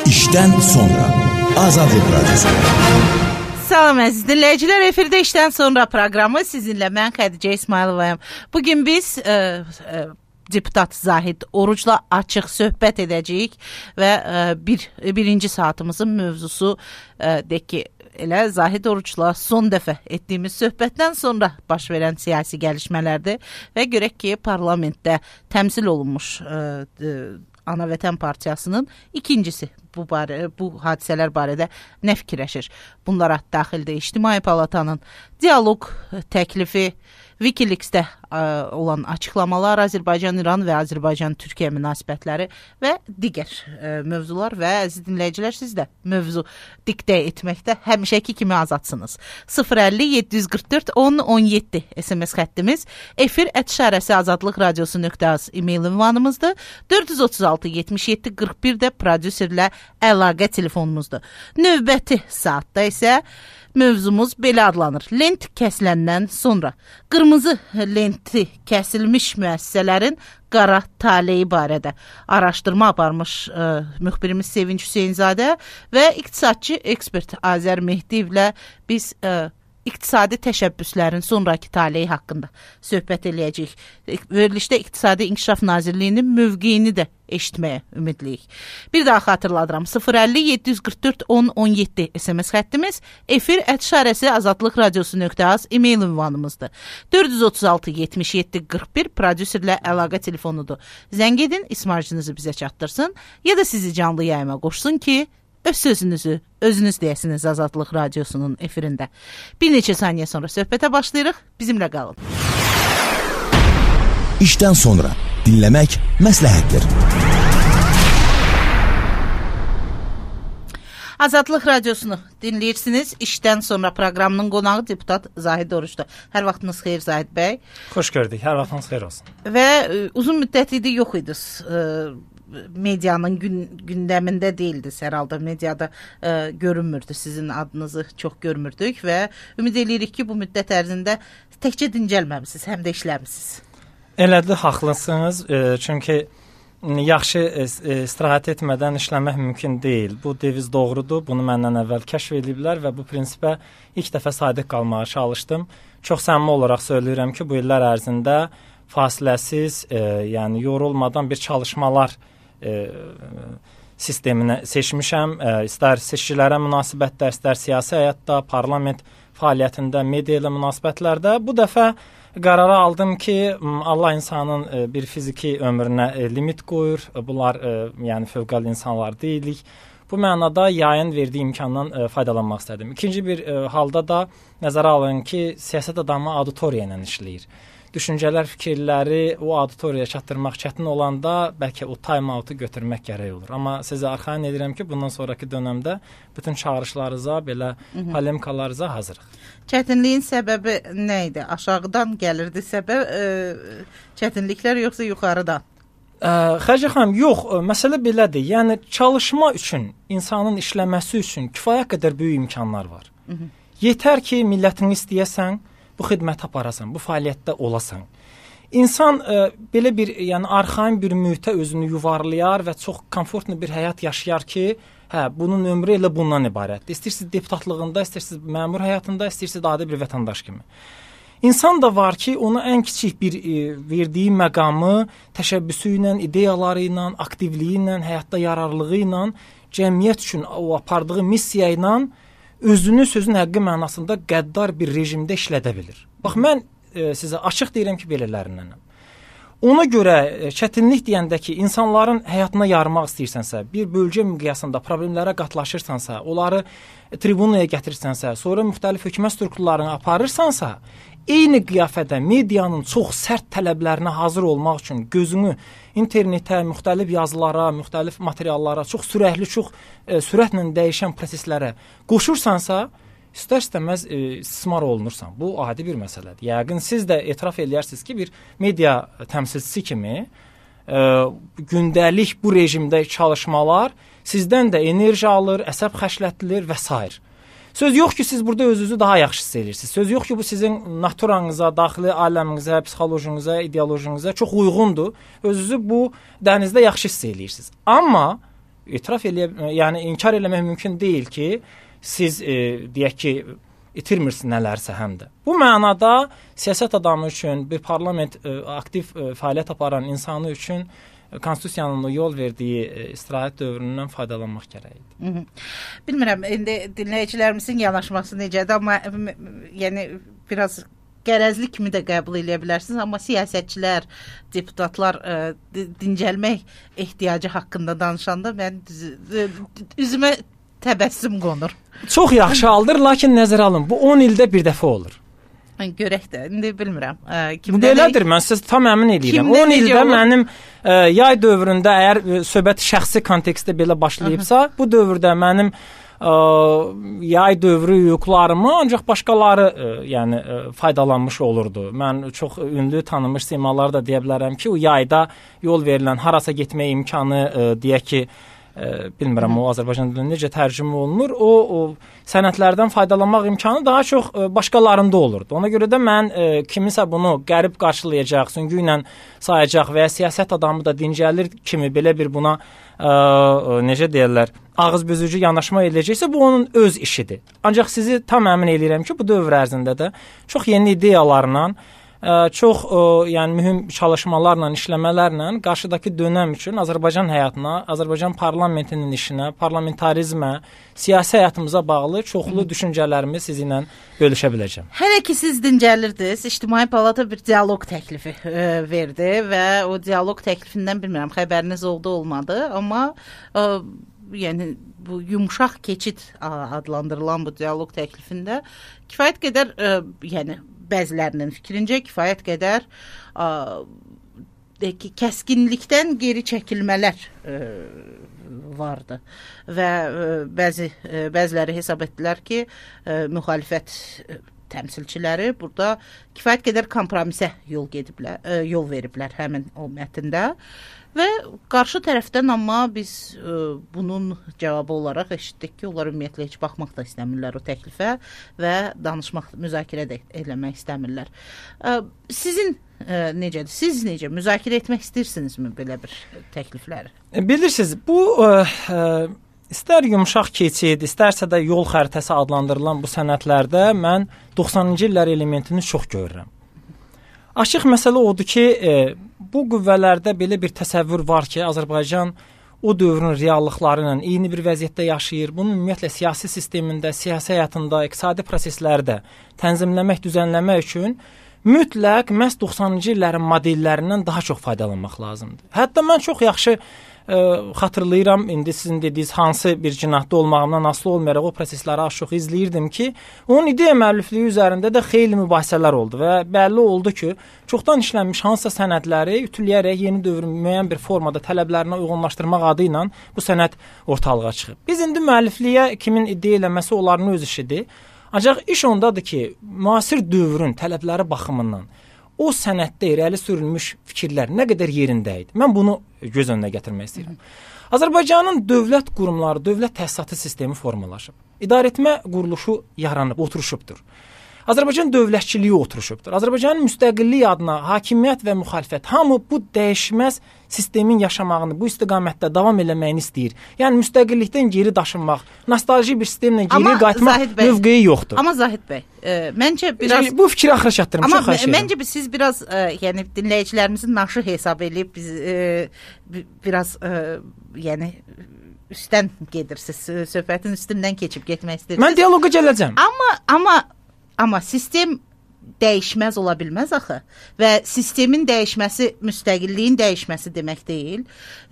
İşdən sonra Azadlıq Radyosu. Salam əziz dinləyicilər, efirdə işdən sonra proqramı sizinlə mən Xədicə İsmayılovayam. Bugün biz deputat Zahid Orucla açıq söhbət edəcəyik və birinci saatımızın mövzusu deyək ki, elə Zahid Orucla son dəfə etdiyimiz söhbətdən sonra baş verən siyasi gəlişmələrdir və görək ki, parlamentdə təmsil olunmuş Ana Vətən Partiyasının ikincisi bu hadisələr barədə nə fikirləşir? Bunlara daxildə İctimai Palatanın dialoq təklifi, Wikileaks'də olan açıqlamalar, Azərbaycan-İran və Azərbaycan-Türkiyə münasibətləri və digər mövzular və əziz dinləyicilər, siz də mövzu diktə etməkdə həmişəki kimi azadsınız. 050-744-10-17 SMS xəttimiz, efir@azadlıqradiosu.az e-mail ünvanımızdır. 436-77-41 də prodüserlə əlaqə telefonumuzdur. Növbəti saatda isə mövzumuz belə adlanır. Lent kəsiləndən sonra qırmızı lenti kəsilmiş müəssisələrin qara taleyi barədə araşdırma aparmış müxbirimiz Sevinç Hüseynzadə və iqtisadçı ekspert Azər Mehdiyevlə biz iqtisadi təşəbbüslərin sonraki taleyi haqqında söhbət eləyəcəyik. Verilişdə İqtisadi İnkişaf Nazirliyinin mövqeyini də eşitməyə ümidliyik. Bir daha xatırladıram. 050-744-10-17 SMS xəttimiz, efir@azadlıqradiosu.az e-mail ünvanımızdır. 436-77-41 prodüserlə əlaqə telefonudur. Zəng edin, ismarcınızı bizə çatdırsın ya da sizi canlı yayıma qoşsun ki, öz sözünüzü özünüz deyəsiniz Azadlıq Radiosunun efirində. Bir neçə saniyə sonra söhbətə başlayırıq. Bizimlə qalın. İşdən sonra dinləmək məsləhətdir. Azadlıq Radiosunu dinləyirsiniz. İşdən sonra proqramının qonağı deputat Zahid Orucdur. Hər vaxtınız xeyir Zahid bəy. Xoş gördük. Hər vaxtınız xeyir olsun. Və uzun müddət idi yox idiniz. Medianın gündəmində deyildiniz hər halda. Mediada görünmürdü. Sizin adınızı çox görmürdük və ümid edirik ki, bu müddət ərzində təkcə dincəlməmisiniz, həm də işləmisiniz. Elədir, haqlısınız. Çünki yaxşı istirahət etmədən işləmək mümkün deyil. Bu deviz doğrudur. Bunu məndən əvvəl kəşf ediblər və bu prinsipə ilk dəfə sadiq qalmağa çalışdım. Çox səmimi olaraq söyləyirəm ki, bu illər ərzində fasiləsiz, yəni yorulmadan bir çalışmalar sisteminə seçmişəm. İstər seçkilərə münasibətdə, istər siyasi həyatda, parlament fəaliyyətində, media ilə münasibətlərdə. Bu dəfə qərara aldım ki, Allah insanın bir fiziki ömrünə limit qoyur. Bunlar yəni fövqəladə insanlar deyilik. Bu mənada yayın verdiyi imkandan faydalanmaq istədim. İkinci bir halda da nəzərə alın ki, siyasət adamı auditoriya ilə işləyir. Düşüncələr, fikirləri o auditoriyaya çatdırmaq çətin olanda bəlkə o time-out'u götürmək gərək olur. Amma sizə arxayın edirəm ki, bundan sonraki dönəmdə bütün çağırışlarınıza, belə polemikalarınıza hazırıq. Çətinliyin səbəbi nə idi? Aşağıdan gəlirdi səbəb, çətinliklər yoxsa yuxarıdan? Xədicə xanım, yox, məsələ belədir. Yəni çalışma üçün, insanın işləməsi üçün kifayət qədər böyük imkanlar var. Yetər ki, millətini istəyəsən, bu xidmət aparasan, bu fəaliyyətdə olasan. İnsan belə bir, yəni arxain bir mühitə özünü yuvarlayar və çox komfortlu bir həyat yaşayar ki, bunun ömrü elə bundan ibarətdir. İstəyirsiniz deputatlığında, istəyirsiniz məmur həyatında, istəyirsiniz adi bir vətəndaş kimi. İnsan da var ki, ona ən kiçik bir verdiyi məqamı təşəbbüsü ilə, ideyaları ilə, aktivliyi ilə, həyatda yararlılığı ilə, cəmiyyət üçün o apardığı missiya ilə özünü sözün həqqi mənasında qəddar bir rejimdə işlədə bilir. Bax, mən sizə açıq deyirəm ki, belələrinənəm. Ona görə çətinlik deyəndə ki, insanların həyatına yarmaq istəyirsənsə, bir bölgə miqyasında problemlərə qatlaşırsansa, onları tribunaya gətirirsənsə, sonra müxtəlif hökumət strukturlarını aparırsansa, eyni qiyafədə medianın çox sərt tələblərinə hazır olmaq üçün gözünü internetə, müxtəlif yazılara, müxtəlif materiallara, çox sürətli, çox sürətlə dəyişən proseslərə qoşursansa, istər-istəməz istismar olunursan. Bu adi bir məsələdir. Yəqin siz də etiraf edərsiniz ki, bir media təmsilçisi kimi gündəlik bu rejimdə çalışmalar sizdən də enerji alır, əsəb xəşlətdilir və s. Söz yox ki, siz burada özünüzü daha yaxşı hiss edirsiniz. Söz yox ki, bu sizin naturanıza, daxili aləminizə, psixolojiyanıza, ideolojiyanıza çox uyğundur. Özünüzü bu dənizdə yaxşı hiss edirsiniz. Amma etiraf yəni inkar eləmək mümkün deyil ki, siz deyək ki, itirmirsiniz nələrsə həm də. Bu mənada siyasət adamı üçün, bir parlament aktiv fəaliyyət aparan insanı üçün konstitusiyanın yol verdiyi istirahət dövründən faydalanmaq gərəkdir. Bilmirəm, indi dinləyicilərimizin yanaşması necədir, amma yəni biraz qərəzli kimi də qəbul edə bilərsiniz, amma siyasətçilər, deputatlar dincəlmək ehtiyacı haqqında danışanda mən üzümə təbəssüm qonur. Çox yaxşı haldır, lakin nəzərə alın, bu 10 ildə bir dəfə olur. Görək də, indi bilmirəm. Bu belədir, mən sizə tam əmin edirəm. 10 ildə mənim yay dövründə, əgər söhbət şəxsi kontekstdə belə başlayıbsa, bu dövrdə mənim yay dövrü hüquqlarımı ancaq başqaları yəni faydalanmış olurdu. Mən çox ünlü tanınmış simaları da deyə bilərəm ki, o yayda yol verilən harasa getmək imkanı deyək ki, bilmirəm o Azərbaycan dilində necə tərcümə olunur. O sənədlərdən faydalanmaq imkanı daha çox başqalarında olurdu. Ona görə də mən kimisə bunu qərib qarşılayacaq, süngü ilə sayacaq və ya siyasət adamı da dincəlir kimi belə bir buna necə deyirlər, ağızbüzücü yanaşma edəcəksə, bu onun öz işidir. Ancaq sizi tam əmin edirəm ki, bu dövr ərzində də çox yeni ideyalarla, çox yəni mühüm çalışmalarla, işləmələrlə qarşıdakı dönəm üçün Azərbaycan həyatına, Azərbaycan parlamentinin işinə, parlamentarizmə, siyasi həyatımıza bağlı çoxlu düşüncələrimi sizinlə bölüşə biləcəm. Hələ ki siz dincəlirdiniz, İctimai Palata bir dialoq təklifi verdi və o dialoq təklifindən bilmirəm, xəbəriniz oldu, olmadı, amma yəni bu yumşaq keçid adlandırılan bu dialoq təklifində kifayət qədər yəni bəzilərinin fikrincə kifayət qədər kəskinlikdən geri çəkilmələr vardı və bəziləri hesab etdilər ki, müxalifət təmsilçiləri burada kifayət qədər kompromisə yol veriblər həmin o mətndə. Və qarşı tərəfdən amma biz bunun cavabı olaraq eşitdik ki, onlar ümumiyyətlə heç baxmaq da istəmirlər o təklifə və danışmaq, müzakirə də eləmək istəmirlər. Sizin necədir? Siz necə müzakirə etmək istəyirsinizmi belə bir təklifləri? Bilirsiniz, bu istər yumşaq keçid, istərsə də yol xəritəsi adlandırılan bu sənədlərdə mən 90-cı illər elementini çox görürəm. Açıq məsələ odur ki, bu qüvvələrdə belə bir təsəvvür var ki, Azərbaycan o dövrün reallıqları ilə eyni bir vəziyyətdə yaşayır. Bunun ümumiyyətlə siyasi sistemində, siyasi həyatında, iqtisadi proseslərdə tənzimləmək, düzənləmək üçün mütləq məhz 90-cı illərin modellərindən daha çox faydalanmaq lazımdır. Hətta mən çox yaxşı xatırlayıram, indi sizin dediyiniz hansı bir cinahda olmağımdan asılı olmayaraq o prosesləri az-çox izləyirdim ki, onun ideya müəllifliyi üzərində də xeyli mübahisələr oldu və bəlli oldu ki, çoxdan işlənmiş hansısa sənədləri ütüləyərək yeni dövrün müəyyən bir formada tələblərinə uyğunlaşdırmaq adı ilə bu sənəd ortalığa çıxıb. Biz indi müəllifliyə kimin ideya eləməsi onların öz işidir. Ancaq iş ondadır ki, müasir dövrün tələbləri baxımından o sənəddə irəli sürülmüş fikirlər nə qədər yerində idi? Mən bunu göz önünə gətirmək istəyirəm. Azərbaycanın dövlət qurumları, dövlət təsisatı sistemi formalaşıb. İdarəetmə quruluşu yaranıb, oturuşubdur. Azərbaycan dövlətçiliyi oturuşubdur. Azərbaycanın müstəqillik adına hakimiyyət və müxalifət hamı bu dəyişməz sistemin yaşamağını, bu istiqamətdə davam eləməyini istəyir. Yəni müstəqillikdən geri daşınmaq, nostalji bir sistemlə geri qayıtmaq mövqeyi yoxdur. Amma Zahid bəy, məncə biraz bu fikri axıra çatdırım, çox xahiş edirəm. Məncə siz biraz yəni dinləyicilərimizin naşı hesab edib biz biraz yəni üstdən gedirsiniz, söhbətin üstündən keçib getmək istəyirsiniz. Mən dialoqa gələcəm. Amma sistem dəyişməz ola bilməz axı və sistemin dəyişməsi müstəqilliyin dəyişməsi demək deyil.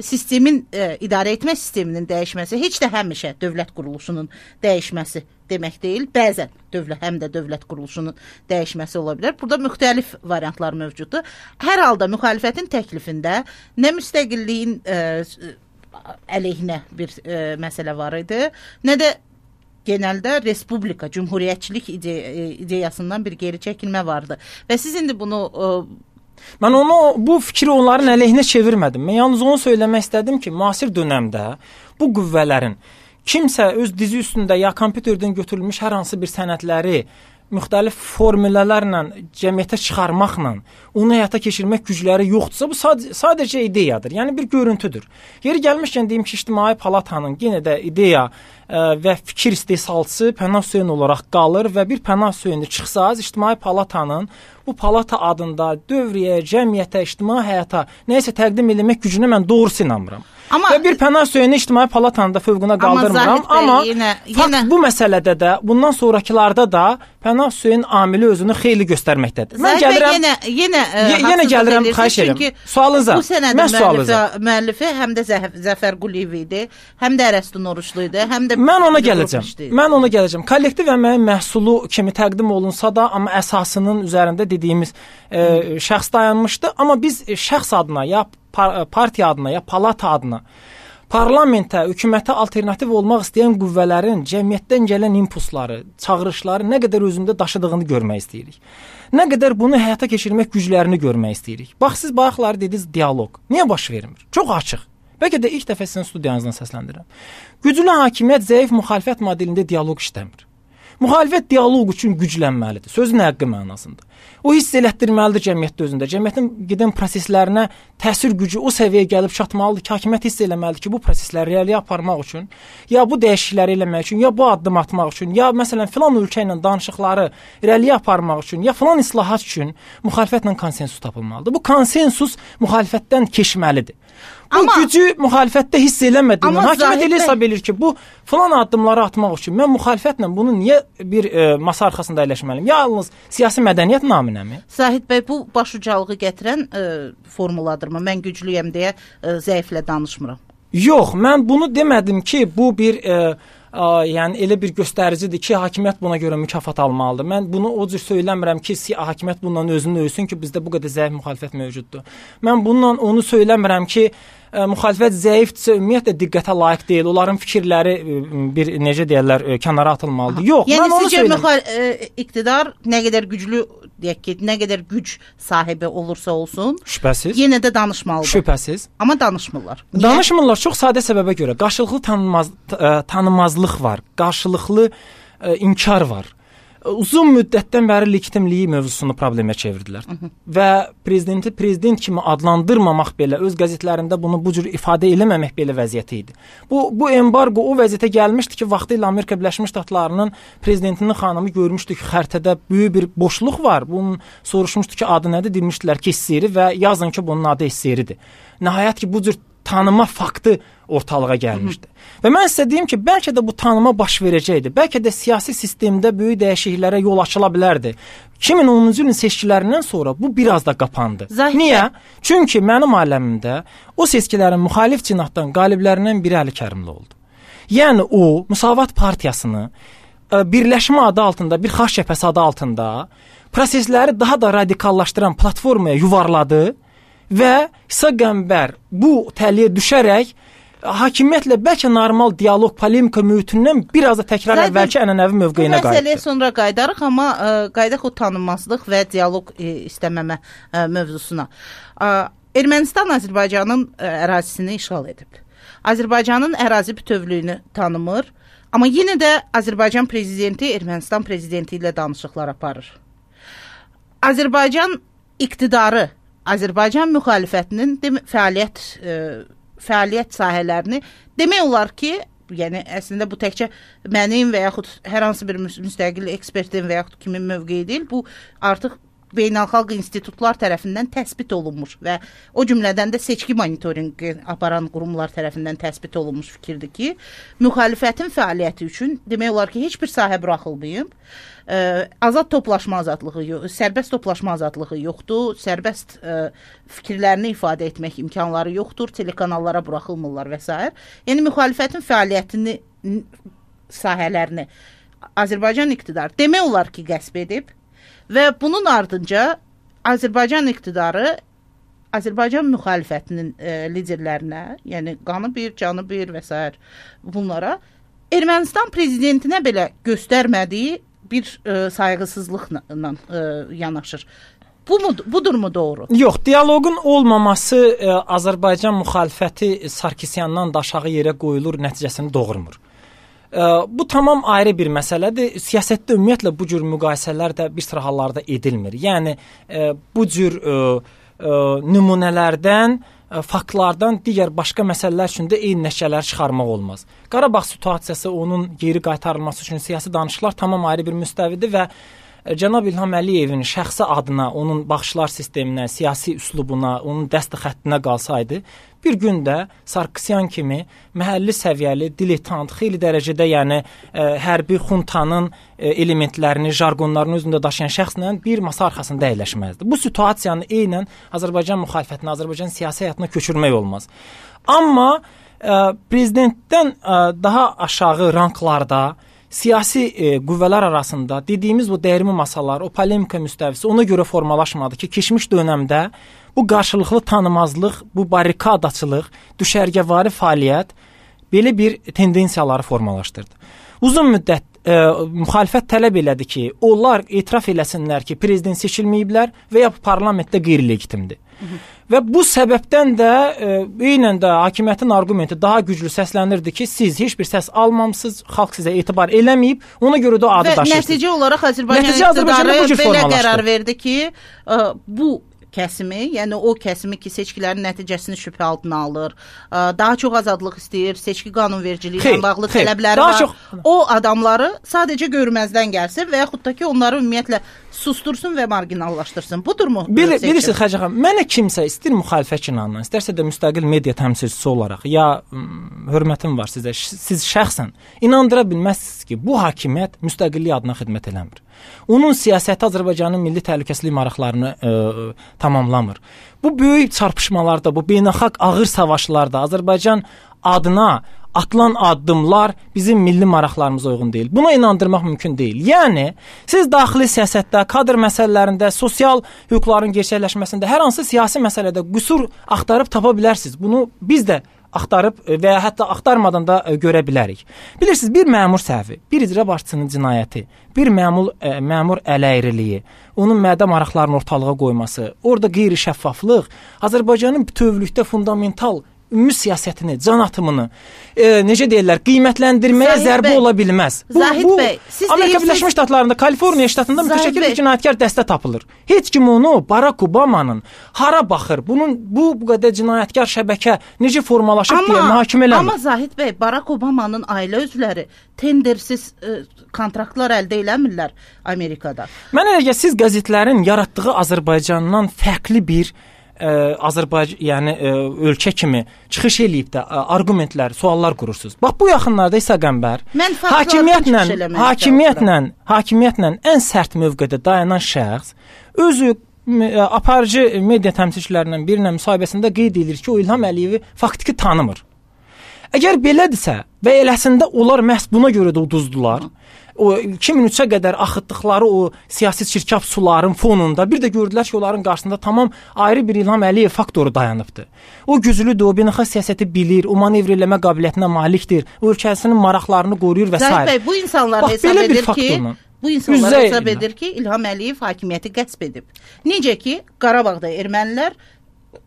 Sistemin idarə etmə sisteminin dəyişməsi heç də həmişə dövlət quruluşunun dəyişməsi demək deyil. Bəzən həm də dövlət quruluşunun dəyişməsi ola bilər. Burada müxtəlif variantlar mövcuddur. Hər halda müxalifətin təklifində nə müstəqilliyin əleyhinə bir məsələ var idi, nə də genəldə respublika, cümhuriyyətçilik ideyasından bir geri çəkilmə vardı. Və siz indi bunu... Mən bu fikri onların əleyhinə çevirmədim. Mən yalnız onu söyləmək istədim ki, müasir dönəmdə bu qüvvələrin kimsə öz dizi üstündə ya kompüterdən götürülmüş hər hansı bir sənədləri müxtəlif formüllərlə cəmiyyətə çıxarmaqla onu həyata keçirmək gücləri yoxdursa, bu sadəcə ideyadır. Yəni bir görüntüdür. Yeri gəlmişkən deyim ki, İctimai Palatanın yenə də ideya və fikir istehsalçısı Pənah Hüseyn olaraq qalır və bir Pənah Hüseyni çıxsaz İctimai Palatanın bu palata adında dövriyə, cəmiyyətə, ictimai həyata nəyisə təqdim etmək gücünə mən doğrusu inanmıram. Və bir Pənah Hüseyni İctimai Palatanın da fövqünə qaldırmıram, amma fakt bu məsələdə də, bundan sonrakılarda da Pənah Hüseyn amili özünü xeyli göstərməkdədir. Mən gəlirəm, yenə gəlirəm, xahiş edirəm. Sualınıza, mən sualınıza. Müəllifi həm də Zəfər Quliyev idi, həm də Ərəstun Oruçlu idi, həm də... Mən ona gələcəm. Kollektiv əməyin məhsulu kimi təqdim olunsa da, amma əsasının üzərində dediyimiz şəxs dayanmışdı. Amma biz şəxs adına, ya partiya adına, ya palata adına parlamentə, hökumətə alternativ olmaq istəyən qüvvələrin cəmiyyətdən gələn impulsları, çağırışları nə qədər özündə daşıdığını görmək istəyirik. Nə qədər bunu həyata keçirmək güclərini görmək istəyirik. Bax, siz bayaqları dediniz dialoq. Niyə baş vermir? Çox açıq. Bəlkə də ilk dəfə sizin studiyanızdan səsləndirirəm. Güclü hakimiyyət zəif müxalifət modelində dialoq işləmir. Müxalifət dialoq üçün güclənməlidir, sözün həqqi mənasında. O hiss elətdirməlidir cəmiyyətdə özündə. Cəmiyyətin gedən proseslərinə təsir gücü o səviyyəyə gəlib çatmalıdır ki, hakimiyyət hiss eləməlidir ki, bu prosesləri realiyə aparmaq üçün, ya bu dəyişiklikləri eləmək üçün, ya bu addım atmaq üçün, ya məsələn filan ölkə ilə danışıqları realiyə aparmaq üçün, ya filan islahat üçün müxalifətlə konsensus tapılmalıdır. Bu konsensus müxalifətdən keçməlidir. Bu gücü müxalifətdə hiss eləmədiyindən hakimiyyət elə hesab edir ki, bu filan addımları atmaq üçün mən müxalifətlə bunu niyə bir masa arxasında əyləşməliyim? Yalnız siyasi mədəniyyət naminəmi? Zahid bəy, bu başucalığı gətirən formuladırmı? Mən güclüyəm deyə zəiflə danışmıram. Yox, mən bunu demədim ki, bu bir yəni elə bir göstəricidir ki, hakimiyyət buna görə mükafat almalıdır. Mən bunu o cür söyləmirəm ki, hakimiyyət bundan özünü ölsün ki, bizdə bu qədər zəif müxalifət mövcuddur. Mən bundan onu söyləmirəm ki, müxalifət zəifdirsə ümumiyyətlə diqqətə layiq deyil. Onların fikirləri bir necə deyirlər, kənara atılmalıdır. Yox, yəni mən onu sizcə iqtidar nə qədər güclü deyək ki, nə qədər güc sahibi olursa olsun, şübhəsiz, yenə də danışmalıdır. Şübhəsiz. Amma danışmırlar. Niyə? Danışmırlar çox sadə səbəbə görə. Qarşılıqlı tanınmazlıq var, qarşılıqlı inkar var. Uzun müddətdən bəri legitimliyi mövzusunu problemə çevirdilər. Və prezidenti prezident kimi adlandırmamaq belə, öz qəzetlərində bunu bu cür ifadə eləməmək belə vəziyyəti idi. Bu embargo o vəziyyətə gəlmişdi ki, vaxtilə Amerika Birləşmiş Ştatlarının prezidentinin xanımı görmüşdü ki, xəritədə böyük bir boşluq var. Bunun soruşmuşdu ki, adı nədir? Demişdilər ki, Esseri və yazın ki, bunun adı Esseridir. Nəhayət ki, bu cür tanıma faktı ortalığa gəlmişdi. Və mən sizə deyim ki, bəlkə də bu tanıma baş verəcəkdi. Bəlkə də siyasi sistemdə böyük dəyişikliklərə yol açıla bilərdi. 2010-cu ilin seçkilərindən sonra bu biraz da qapandı. Niyə? Çünki mənim aləmimdə o seçkilərin müxalif cinahdan qaliblərindən biri Əli Kərimli oldu. Yəni o, Müsavat Partiyasını birləşmə adı altında, bir xaç cəbhəsi adı altında prosesləri daha da radikallaşdıran platformaya yuvarladı və İsa Qəmbər bu təliyə düşərək hakimiyyətlə bəlkə normal dialoq, polemika mühitindən biraz da təkrar əvvəlki ənənəvi mövqeyinə qayıtdı. Bu məsələyə sonra qayıdarıq, amma qayıdaq o tanınmazlıq və dialoq istəməmə mövzusuna. Ermənistan Azərbaycanın ərazisini işğal edib. Azərbaycanın ərazi bütövlüyünü tanımır, amma yenə də Azərbaycan prezidenti Ermənistan prezidenti ilə danışıqlar aparır. Azərbaycan iqtidarı Azərbaycan müxalifətinin fəaliyyət sahələrini demək olar ki, yəni əslində bu təkcə mənim və yaxud hər hansı bir müstəqil ekspertin və yaxud kimin mövqeyi deyil, bu artıq beynəlxalq institutlar tərəfindən təsbit olunmuş və o cümlədən də seçki monitorinqi aparan qurumlar tərəfindən təsbit olunmuş fikirdir ki, müxalifətin fəaliyyəti üçün demək olar ki, heç bir sahə buraxılmayıb. Azad toplaşma azadlığı, sərbəst toplaşma azadlığı yoxdur, sərbəst fikirlərini ifadə etmək imkanları yoxdur, telekanallara buraxılmırlar və s. Yəni müxalifətin fəaliyyətini, sahələrini Azərbaycan iqtidarı demək olar ki, qəsb edib və bunun ardınca Azərbaycan iqtidarı Azərbaycan müxalifətinin liderlərinə, yəni qanı bir, canı bir və s. bunlara Ermənistan prezidentinə belə göstərmədiyi bir sayğısızlıqla yanaşır. Budurmu doğru? Yox, dialoqun olmaması Azərbaycan müxalifəti Sarkisyandan da aşağı yerə qoyulur nəticəsini doğurmur. Bu tamam ayrı bir məsələdir. Siyasətdə ümumiyyətlə bu cür müqayisələr də bir sıra hallarda edilmir. Yəni bu cür nümunələrdən, faktlardan digər başqa məsələlər üçün də eyni nəticələr çıxarmaq olmaz. Qarabağ situasiyası, onun geri qaytarılması üçün siyasi danışıqlar tamam ayrı bir müstəvidir və cənab İlham Əliyevin şəxsi adına, onun baxışlar sisteminə, siyasi üslubuna, onun dəstə xəttinə qalsaydı, bir gün də Sarkisyan kimi məhəlli səviyyəli, diletant, xeyli dərəcədə yəni hərbi xuntanın elementlərini, jargonlarını özündə daşıyan şəxslə bir masa arxasında əyləşməzdi. Bu situasiyanı eynən Azərbaycan müxalifətinə, Azərbaycan siyasi həyatına köçürmək olmaz. Amma prezidentdən daha aşağı ranklarda siyasi qüvvələr arasında dediyimiz bu dəyirmi masalar, o polemika müstəvisi ona görə formalaşmadı ki, keçmiş dönəmdə bu qarşılıqlı tanımazlıq, bu barikadaçılıq, düşərgəvari fəaliyyət belə bir tendensiyaları formalaşdırdı. Uzun müddət müxalifət tələb elədi ki, onlar etiraf eləsinlər ki, prezident seçilməyiblər və ya parlamentdə qeyri-legitimdir. Və bu səbəbdən də eynən də hakimiyyətin arqumenti daha güclü səslənirdi ki, siz heç bir səs almamısınız, xalq sizə etibar eləməyib, ona görə də adı daşırsınız. Və nəticə olaraq Azərbaycan iqtidarı belə qərar verdi ki, bu kəsimi, yəni o kəsimi ki, seçkilərin nəticəsini şübhə altına alır, daha çox azadlıq istəyir, seçki qanunvericiliyi ilə bağlı tələbləri var. O adamları sadəcə görməzdən gəlsin və yaxud da ki, onları ümumiyyətlə sustursun və marginallaşdırsın. Budurmu? Bilirsiniz, Xəcə xanım, mənə kimsə istəyir müxalifət cinahından, istərsə də müstəqil media təmsilçisi olaraq, ya hörmətim var sizə, siz şəxsən inandıra bilməzsiniz ki, bu hakimiyyət müstəqillik adına xidmət eləmir. Onun siyasəti Azərbaycanın milli təhlükəsizlik maraqlarını tamamlamır. Bu böyük çarpışmalarda, bu beynəlxalq ağır savaşlarda Azərbaycan adına atılan addımlar bizim milli maraqlarımıza uyğun deyil. Buna inandırmaq mümkün deyil. Yəni, siz daxili siyasətdə, kadr məsələlərində, sosial hüquqların gerçəkləşməsində, hər hansı siyasi məsələdə qüsur axtarıb tapa bilərsiniz. Bunu biz də axtarıb və ya hətta axtarmadan da görə bilərik. Bilirsiniz, bir məmur səhvi, bir icra başçısının cinayəti, bir məmur ələyriliyi, onun mədə maraqlarını ortalığa qoyması, orada qeyri-şəffaflıq Azərbaycanın bütövlükdə fundamental ümumi siyasətini, can atımını, necə deyirlər, qiymətləndirməyə zərbə ola bilməz. Zahid bəy, siz Amerika Birləşmiş Ştatlarında, Kaliforniya ştatında mütəşəkkil bir cinayətkar dəstə tapılır. Heç kim onu Barack Obama'nın hara baxır, bu qədər cinayətkar şəbəkə necə formalaşıb deyə mühakimə eləmir. Amma Zahid bəy, Barack Obama'nın ailə üzvləri tendersiz kontraktlar əldə eləmirlər Amerikada. Mənə elə gəlir, siz qəzetlərin yaratdığı Azərbaycandan fərqli bir ölkə kimi çıxış eləyib də arqumentlər, suallar qurursunuz. Bax, bu yaxınlarda İsa Qəmbər hakimiyyətlə ən sərt mövqedə dayanan şəxs özü aparıcı media təmsilçilərindən birinin müsahibəsində qeyd edir ki, o İlham Əliyevi faktiki tanımır. Əgər belədirsə və eləsində onlar məhz buna görə də uduzdular, o 2003-ə qədər axıtdıqları o siyasi çirkab suların fonunda bir də gördülər ki, onların qarşısında tamam ayrı bir İlham Əliyev faktoru dayanıbdır. O güclüdür, o beynəlxalq siyasəti bilir, o manevr eləmə qabiliyyətinə malikdir, o ölkəsinin maraqlarını qoruyur və s. Zahid bəy, bu insanlar hesab edir ki, İlham Əliyev hakimiyyəti qəsb edib. Necə ki, Qarabağda ermənilər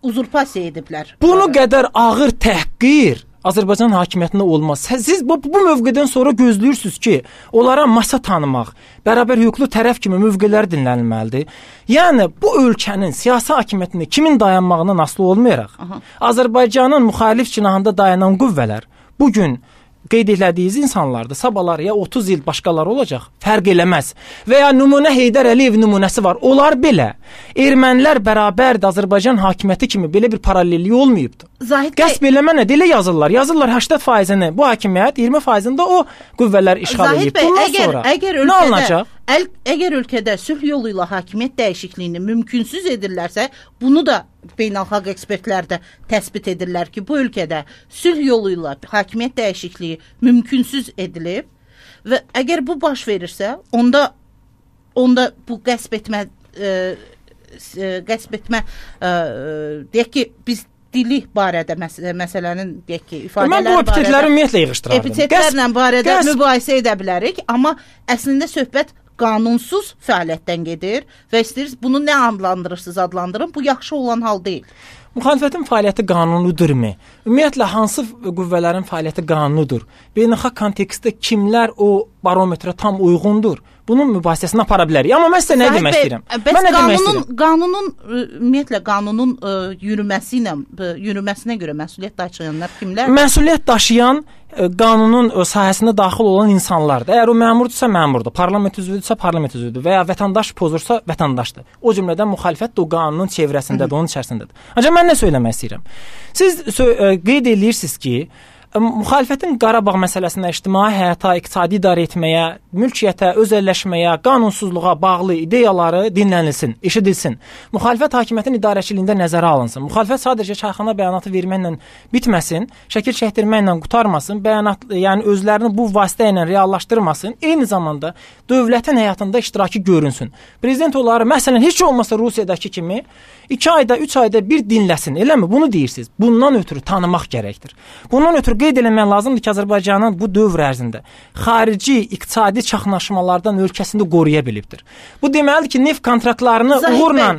uzurpasiya ediblər. Bunu qədər ağır təhqir Azərbaycan hakimiyyətində olmaz. Siz bu mövqedən sonra gözləyirsiniz ki, onlara masa tanımaq, bərabər hüquqlu tərəf kimi mövqelər dinlənilməlidir. Yəni, bu ölkənin siyasi hakimiyyətində kimin dayanmağından asılı olmayaraq, Azərbaycanın müxalif cinahında dayanan qüvvələr bugün qeyd etdiyiniz insanlardır. Sabahlar ya 30 il başqaları olacaq, fərq eləməz. Və ya nümunə Heydər Əliyev nümunəsi var. Onlar belə ermənilər bərabərdir Azərbaycan hakimiyyəti kimi belə bir paralellik olmayıbdır. Qəsb eləmə nə deyə yazırlar? Yazırlar 80%-ni bu hakimiyyət, 20%-ni də o qüvvələr işğal edib. Bundan sonra əgər ölkədə sülh yolu ilə hakimiyyət dəyişikliyini mümkünsüz edirlərsə, bunu da beynəlxalq ekspertlər də təsbit edirlər ki, bu ölkədə sülh yolu ilə hakimiyyət dəyişikliyi mümkünsüz edilib və əgər bu baş verirsə, onda bu qəsb etmə deyək ki, biz dili barədə məsələnin deyək ki, ifadələri barədə. Mən bu epitetləri ümumiyyətlə yığışdırardım. Epitetlərlə barədə mübahisə edə bilərik, amma əslində söhbət qanunsuz fəaliyyətdən gedir və istəyirsiniz bunu nə adlandırırsınız adlandırın, bu yaxşı olan hal deyil. Müxalifətin fəaliyyəti qanunudurmu? Ümumiyyətlə hansı qüvvələrin fəaliyyəti qanunudur? Beynəlxalq kontekstdə kimlər o barometrə tam uyğundur? Bunun mübahisəsini apara bilərik. Amma mən sizə nə demək istəyirəm? Bəs qanunun ümumiyyətlə qanunun yürüməsinə görə məsuliyyət daşıyanlar kimlər? Məsuliyyət daşıyan qanunun sahəsinə daxil olan insanlardır. Əgər o məmurdursa məmurdur, parlament üzvüdürsə parlament üzvüdür və ya vətəndaş pozursa vətəndaşdır. O cümlədən müxalifət də o qanunun çevrəsindədir, onun içərisindədir. Ancaq mən nə söyləmək istəyirəm? Siz qeyd edirsiniz ki, müxalifətin Qarabağ məsələsinə, ictimai həyata, iqtisadi idarə etməyə, mülkiyyətə, özəlləşməyə, qanunsuzluğa bağlı ideyaları dinlənilsin, eşidilsin. Müxalifət hakimiyyətin idarəçiliyində nəzərə alınsın. Müxalifət sadəcə çayxana bəyanatı verməklə bitməsin, şəkil çəkdirməklə qurtarmasın, yəni özlərini bu vasitə ilə reallaşdırmasın, eyni zamanda dövlətin həyatında iştirakı görünsün. Prezident onları, məsələn, heç olmasa Rusiyadakı kimi 2 ayda, 3 ayda bir dinləsin, eləmi? Bunu deyirsiniz. Bundan ötürü tanımaq gərəkdir. Bundan ötürü qeyd eləmək lazımdır ki, Azərbaycanın bu dövr ərzində xarici iqtisadi çaxnaşmalardan ölkəsində qoruya bilibdir. Bu deməlidir ki, neft kontraktlarını uğurla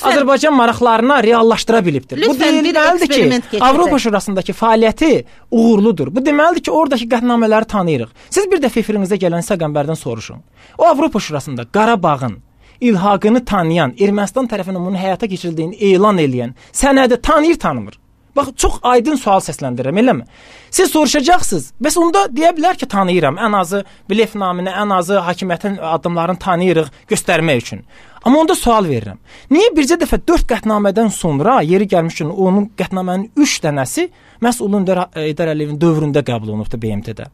Azərbaycan maraqlarına reallaşdıra bilibdir. Bu deməlidir ki, Avropa Şurasındakı fəaliyyəti uğurludur. Bu deməlidir ki, oradakı qətnamələri tanıyırıq. Siz bir dəfə efirinizə gələn Səqəmbərdən soruşun. O Avropa Şurasında Qarabağın ilhaqını tanıyan, Ermənistan tərəfindən bunun həyata keçirildiyini elan edən sənədi tanıyır-tanımır. Bax, çox aydın sual səsləndirirəm, eləmi? Siz soruşacaqsınız, bəs onda deyə bilər ki, tanıyıram, ən azı blef naminə, ən azı hakimiyyətin addımlarını tanıyırıq göstərmək üçün. Amma onda sual verirəm. Niyə bircə dəfə 4 qətnamədən sonra yeri gəlmiş üçün onun qətnamənin 3 dənəsi məhz Ulu Öndər Heydər Əliyevin dövründə qəbul olunubdur BMT-də?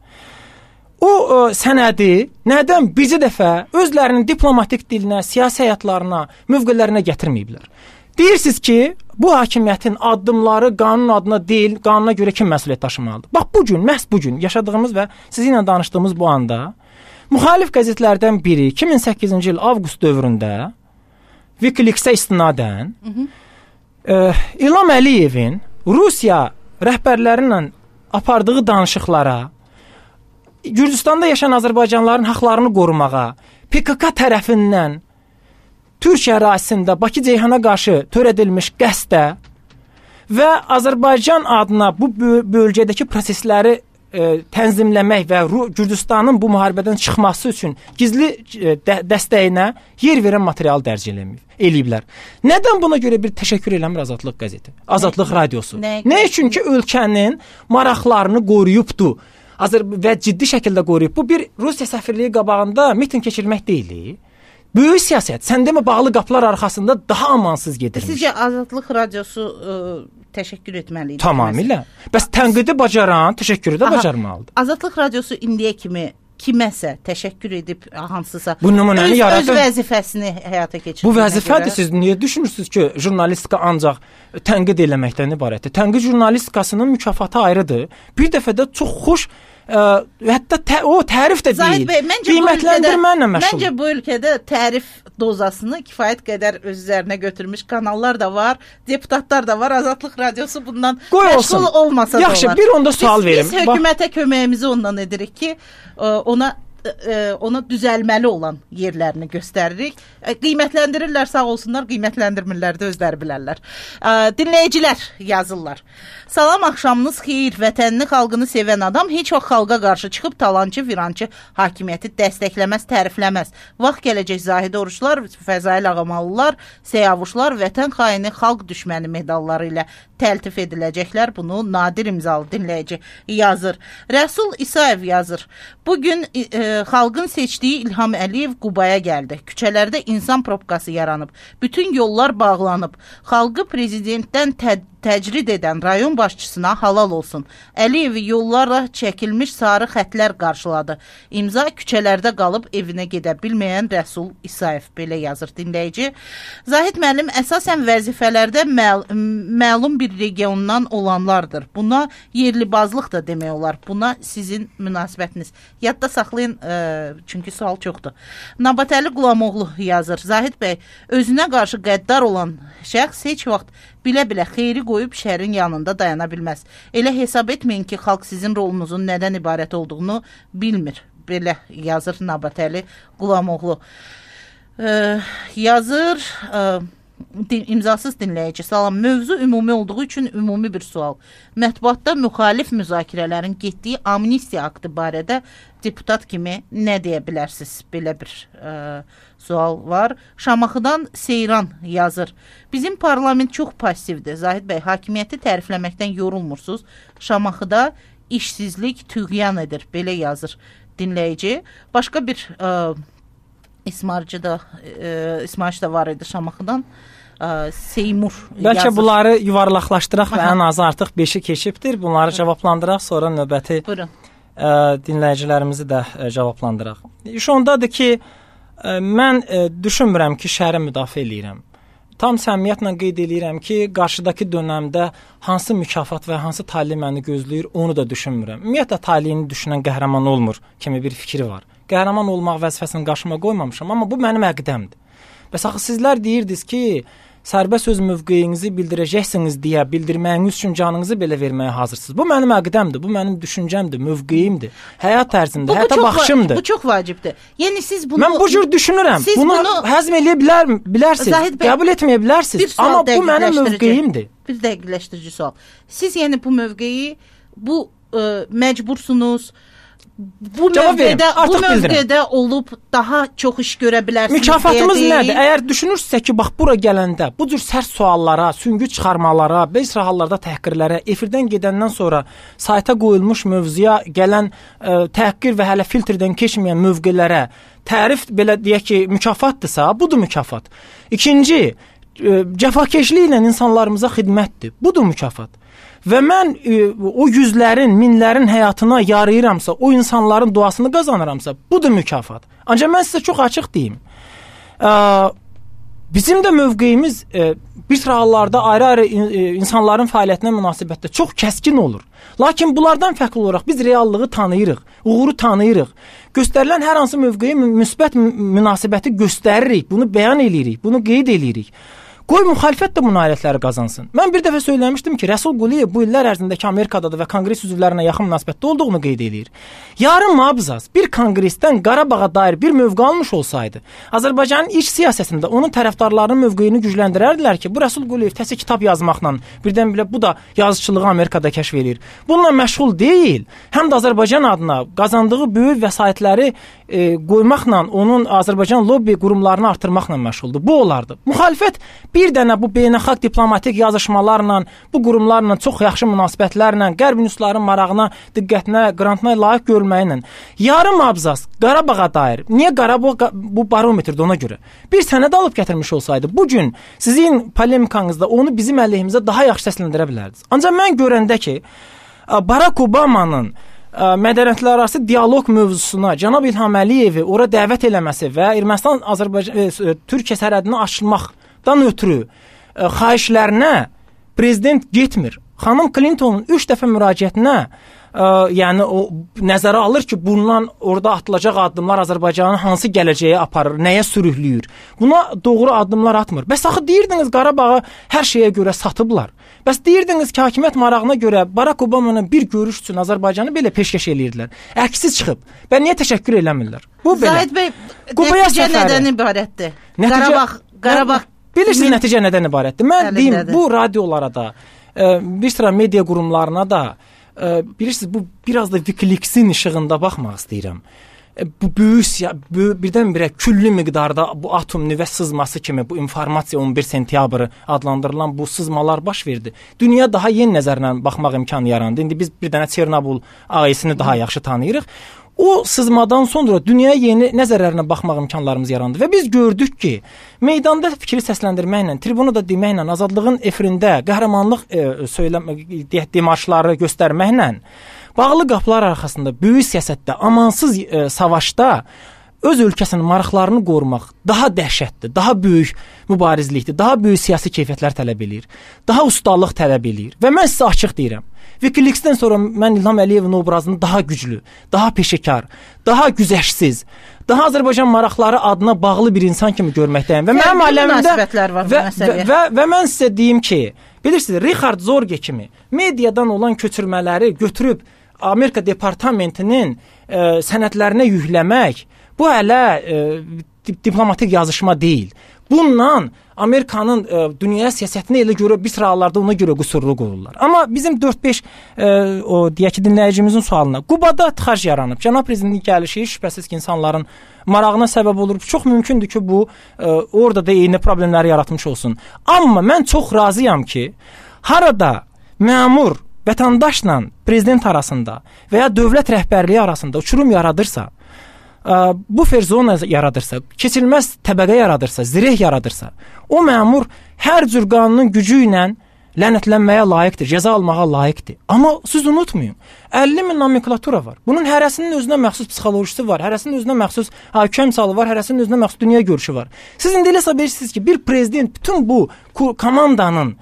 O sənədi nədən bircə dəfə özlərinin diplomatik dilinə, siyasi həyatlarına, mövqelərinə gətirməyiblər? Deyirsiniz ki, bu hakimiyyətin addımları qanun adına deyil, qanuna görə kim məsuliyyət daşımalıdır? Bax, məhz bugün yaşadığımız və sizinlə danışdığımız bu anda müxalif qəzetlərdən biri 2008-ci il avqust dövründə Wikileaks-ə istinadən İlham Əliyevin Rusiya rəhbərləri ilə apardığı danışıqlara, Gürcüstanda yaşayan Azərbaycanlıların haqlarını qorumağa, PKK tərəfindən Türkiyə ərazisində Bakı Ceyhana qarşı törədilmiş qəsdə və Azərbaycan adına bu bölgədəki prosesləri tənzimləmək və Gürcüstanın bu müharibədən çıxması üçün gizli dəstəyinə yer verən material dərc eləyiblər. Nədən buna görə bir təşəkkür eləmir Azadlıq qəzeti, Azadlıq radiosu? Nə üçün ki, ölkənin maraqlarını qoruyubdu və ciddi şəkildə qoruyub. Bu bir Rusiya səfirliyi qabağında miting keçirmək deyil. Böyük siyasət, sən demə bağlı qapılar arxasında daha amansız gedirmiş. Sizcə Azadlıq radiosu təşəkkür etməli idi? Tamamilə. Bəs tənqidi bacaran, təşəkkürü də bacarmalıdır. Azadlıq radiosu indiyə kimi kiməsə təşəkkür edib hansısa öz vəzifəsini həyata keçirdiyinə Bu vəzifədir. Siz niyə düşünürsünüz ki, jurnalistika ancaq tənqid eləməkdən ibarətdir? Tənqid jurnalistikasının mükafatı ayrıdır. Bir dəfə də çox xoş hətta o tərif də deyil. Qiymətləndirməklə məşğul. Məncə bu ölkədə tərif dozasını kifayət qədər öz üzərinə götürmüş kanallar da var, deputatlar da var. Azadlıq radiosu bundan məşğul olmasa da olar. Yaxşı, bir onda sual verim. Biz hökumətə köməyimizi ondan edirik ki, ona düzəlməli olan yerlərini göstəririk. Qiymətləndirirlər, sağ olsunlar, qiymətləndirmirlər də özləri bilərlər. Dinləyicilər yazırlar. Salam, axşamınız xeyir. Vətənini, xalqını sevən adam heç vaxt xalqa qarşı çıxıb talancı, virançı hakimiyyəti dəstəkləməz, tərifləməz. Vaxt gələcək Zahid Oruçlar, Fəzail Ağamalılar, Seyavuşlar, vətən xaini, xalq düşməni medalları ilə təltif ediləcəklər. Bunu Nadir imzalı dinləyici yazır. Rəsul İsayev yazır. Bugün xalqın seçdiyi İlham Əliyev Qubaya gəldi. Küçələrdə insan probkası yaranıb. Bütün yollar bağlanıb. Xalqı prezidentdən təcrid edən rayon başçısına halal olsun. Əliyevi yollarla çəkilmiş sarı xətlər qarşıladı. İmza küçələrdə qalıb evinə gedə bilməyən Rəsul İsayev, belə yazır dinləyici. Zahid müəllim, əsasən vəzifələrdə məlum bir regiondan olanlardır. Buna yerlibazlıq da demək olar. Buna sizin münasibətiniz. Yadda saxlayın, çünki sual çoxdur. Nabatəli Qulamoğlu yazır. Zahid bəy, özünə qarşı qəddar olan şəxs heç vaxt bilə-bilə xeyri qoyub şərin yanında dayana bilməz. Elə hesab etməyin ki, xalq sizin rolunuzun nədən ibarət olduğunu bilmir. Belə yazır Nabatəli Qulamoğlu. Yazır imzasız dinləyici. Salam, mövzu ümumi olduğu üçün ümumi bir sual. Mətbuatda müxalif müzakirələrin getdiyi amnistiya aktı barədə deputat kimi nə deyə bilərsiniz? Belə bir sual var. Şamaxıdan Seyran yazır. Bizim parlament çox passivdir. Zahid bəy, hakimiyyəti tərifləməkdən yorulmursunuz. Şamaxıda işsizlik tüğyan edir. Belə yazır dinləyici. Başqa bir İsmailci da var idi Şamaxıdan. Seymur Bəlkə yazır. bunları yuvarlaqlaşdıraq və ən azı artıq 5-i keçibdir. Bunları cavablandıraq, sonra növbəti dinləyicilərimizi də cavablandıraq. İş ondadır ki, mən düşünmürəm ki, şəhəri müdafiə eləyirəm. Tam səmimiyyətlə qeyd eləyirəm ki, qarşıdakı dönəmdə hansı mükafat və hansı tali məni gözləyir, onu da düşünmürəm. Ümumiyyətlə taliyini düşünən qəhrəman olmur kimi bir fikri var. Qəhrəman olmaq vəzifəsini qarşıma qoymamışam, amma bu mənim əqidəmdir. Bəs axı sizlər deyirdiniz ki, sərbəst söz mövqeyinizi bildirəcəksiniz deyə bildirməyiniz üçün canınızı belə verməyə hazırsınız. Bu mənim əqidəmdir, bu mənim düşüncəmdir, mövqeyimdir, həyat tərzimdir, həyata baxışımdır. Bu çox vacibdir. Yəni siz bunu... Mən bu cür düşünürəm. Bunu həzm eləyə bilərsiniz, qəbul etməyə bilərsiniz, amma bu mənim mövqeyimdir. Bir dəqiqləşdirici sual. Siz yəni bu mövqeyi, bu məcbursunuz, bu mövqedə olub daha çox iş görə bilərsiniz. Mükafatımız nədir? Əgər düşünürsə ki, bax bura gələndə bu cür sərt suallara, süngü çıxarmalara, bəzi hallarda təhqirlərə, efirdən gedəndən sonra sayta qoyulmuş mövzuya gələn təhqir və hələ filtrdən keçməyən mövqelərə tərif belə deyək ki, mükafatdırsa, budur mükafat. İkinci, cəfakeşliklə insanlarımıza xidmətdir. Budur mükafat. Və mən o yüzlərin, minlərin həyatına yarayıramsa, o insanların duasını qazanıramsa, budur mükafat. Ancaq mən sizə çox açıq deyim. Bizim də mövqeyimiz bir sıra hallarda ayrı-ayrı insanların fəaliyyətinə münasibətdə çox kəskin olur. Lakin bunlardan fərqli olaraq biz reallığı tanıyırıq, uğuru tanıyırıq. Göstərilən hər hansı mövqeyə müsbət münasibəti göstəririk, bunu bəyan eləyirik, bunu qeyd eləyirik. Qoy müxalifət də bu nailiyyətləri qazansın. Mən bir dəfə söyləmişdim ki, Rəsul Quliyev bu illər ərzindəki Amerikadadır və konqres üzvlərinə yaxın münasibətdə olduğunu qeyd edir. Yarın mabzaz bir konqresdən Qarabağa dair bir mövqe almış olsaydı, Azərbaycanın iç siyasətində onun tərəfdarlarının mövqeyini gücləndirərdilər ki, bu Rəsul Quliyev təzə kitab yazmaqla birdən-birə bu da yazıçılığı Amerikada kəşf edir. Bununla məşğul deyil, həm də Azərbaycan adına qazandığı böyük vəsaitləri qoymaqla, onun Azərbaycan lobbi qurumlarını artırmaqla məşğuldur. Bu olardı. Müxalifət bir dənə bu beynəlxalq diplomatik yazışmalarla, bu qurumlarla, çox yaxşı münasibətlərlə, qərb nüsların marağına, diqqətinə, qrantına layiq görməklə, yarım abzas Qarabağa dair, niyə Qarabağ bu barometrdə ona görə bir sənəd alıb gətirmiş olsaydı, bugün sizin polemikanızda onu bizim əleyhimizə daha yaxşı səsləndirə bilərdiniz. Ancaq mən görəndə ki, Barack Obama'nın mədəniyyətlərarası dialoq mövzusuna cənab İlham Əliyevi ora dəvət eləməsi və Ermənistan-Türkiyə sərhədini açılmaqdan ötürü xahişlərinə prezident getmir. Xanım Clintonun 3 dəfə müraciətinə yəni o nəzərə alır ki, bundan orada atılacaq addımlar Azərbaycanın hansı gələcəyə aparır, nəyə sürükləyir. Buna doğru addımlar atmır. Bəs axı deyirdiniz Qarabağı hər şeyə görə satıblar. Bəs deyirdiniz ki, hakimiyyət marağına görə Barack Obama'nın bir görüş üçün Azərbaycanı belə peşkəş eləyirdilər. Əksi çıxıb. Və niyə təşəkkür eləmirlər? Bu belə. Zahid bəy, nəticə nədən ibarətdir? Qarabağ. Bilirsiniz nəticə nədən ibarətdir? Mən deyim, bu radiolara da, bir sıra media qurumlarına da, bilirsiniz, bu biraz da Wikileaks-in işığında baxmaq istəyirəm. Bu birdən-birə külli miqdarda bu atom nüvə sızması kimi bu informasiya 11 sentyabrı adlandırılan bu sızmalar baş verdi. Dünya daha yeni nəzərlə baxmaq imkanı yarandı. İndi biz bir dənə Çernobıl AES-ini daha yaxşı tanıyırıq. O sızmadan sonra dünyaya yeni nəzərlərlə baxmaq imkanlarımız yarandı və biz gördük ki, meydanda fikri səsləndirməklə, tribunu da deməklə, azadlığın efirində qəhrəmanlıq demarşları göstərməklə, bağlı qapılar arxasında, böyük siyasətdə, amansız savaşda öz ölkəsinin maraqlarını qorumaq daha dəhşətdir, daha böyük mübarizlikdir, daha böyük siyasi keyfiyyətlər tələb eləyir, daha ustalıq tələb eləyir və mən sizə açıq deyirəm. Wikileaks-dən sonra mən İlham Əliyevin obrazını daha güclü, daha peşəkar, daha güzəştsiz, daha Azərbaycan maraqları adına bağlı bir insan kimi görməkdəyim. Və mənim aləmimdə və mən sizə deyim ki, bilirsiniz, Richard Zorge kimi mediadan olan köçürmələri götürüb Amerika departamentinin sənədlərinə yükləmək, bu hələ diplomatik yazışma deyil. Bundan Amerikanın dünya siyasətinə elə görə bir sıralarda ona görə qüsurlu qoyurlar. Amma bizim 4-5 o deyək ki, dinləyicimizin sualına, Qubada tıxac yaranıb. Cənab prezidentin gəlişi şübhəsiz ki, insanların marağına səbəb olur. Çox mümkündür ki, bu orada da eyni problemləri yaratmış olsun. Amma mən çox razıyam ki, harada məmur vətəndaşla prezident arasında və ya dövlət rəhbərliyi arasında uçurum yaradırsa, bu ferzona yaradırsa, keçilməz təbəqə yaradırsa, zireh yaradırsa, o məmur hər cür qanunun gücü ilə lənətlənməyə layiqdir, cəza almağa layiqdir. Amma siz unutmayın, 50 min nomenklatura var. Bunun hərəsinin özünə məxsus psixolojisi var, hərəsinin özünə məxsus kömsalı var, hərəsinin özünə məxsus dünya görüşü var. Siz indi elə bilirsiniz ki, bir prezident bütün bu komandanın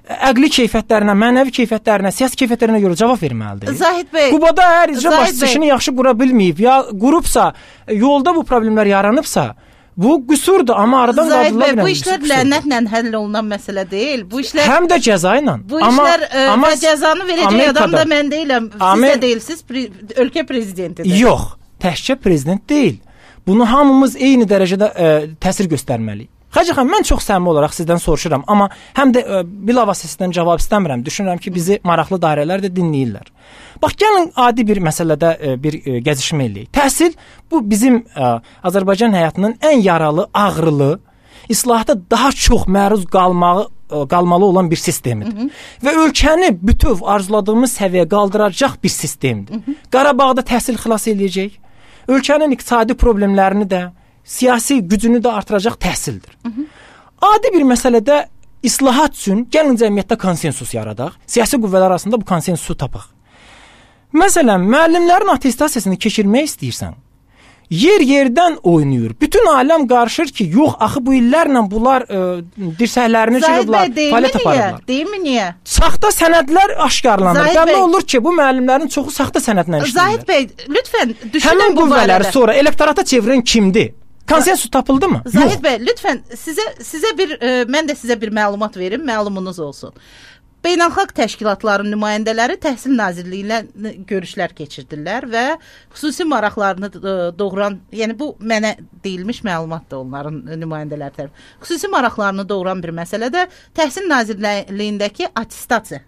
əqli keyfiyyətlərinə, mənəvi keyfiyyətlərinə, siyasi keyfiyyətlərinə görə cavab verməlidir. Zahid bəy, Qubada əgər icra başçısı işini yaxşı qura bilməyib, ya qurubsa, yolda bu problemlər yaranıbsa, bu qüsurdur, amma aradan qaldırıla bilən. Bu işlər lənətlə həll olunan məsələ deyil. Bu işlər həm də cəza ilə. Bu işlər və cəzanı verəcək adam da mən deyiləm. Siz də deyilsiz, ölkə prezidentidir. Yox, təkcə prezident deyil. Bunu hamımız eyni dərəcədə təsir göstərməliyik. Xacı xanım, mən çox səmimi olaraq sizdən soruşuram, amma həm də bilavasitə sizdən cavab istəmirəm. Düşünürəm ki, bizi maraqlı dairələr də dinləyirlər. Bax, gəlin adi bir məsələdə bir gəzişmə eləyək. Təhsil bu bizim Azərbaycan həyatının ən yaralı, ağrılı, islahata daha çox məruz qalmalı olan bir sistemidir. Və ölkəni bütöv arzuladığımız səviyyəyə qaldıracaq bir sistemdir. Qarabağda təhsil xilas eləyəcək, ölkənin iqtisadi problemlərini də, siyasi gücünü də artıracaq təhsildir. Adi bir məsələdə islahat üçün gəlin cəmiyyətdə konsensus yaradaq, siyasi qüvvələr arasında bu konsensusu tapaq. Məsələn, müəllimlərin attestasiyasını keçirmək istəyirsən, yer-yerdən oynayır. Bütün aləm qarışır ki, yox, axı bu illərlə bunlar dirsəklərini çırıblar, fəaliyyət aparırlar. Deyilmi niyə? Saxta sənədlər aşkarlanır. Bəlli olur ki, bu müəllimlərin çoxu saxta sənədlə işləyirlər. Zahid bəy, lütfən düşünün həmin bu barədə. Həmin qüvvələri sonra elektorata çevirən kimdir? Konsensus tapıldı mı? Zahid bəy, lütfən mən də sizə bir məlumat verim, məlumunuz olsun. Beynəlxalq təşkilatların nümayəndələri Təhsil Nazirliyi ilə görüşlər keçirdirlər və xüsusi maraqlarını doğuran, yəni bu mənə deyilmiş məlumatdır onların nümayəndələri tərəfindən. Xüsusi maraqlarını doğuran bir məsələ də Təhsil Nazirliyindəki attestasiya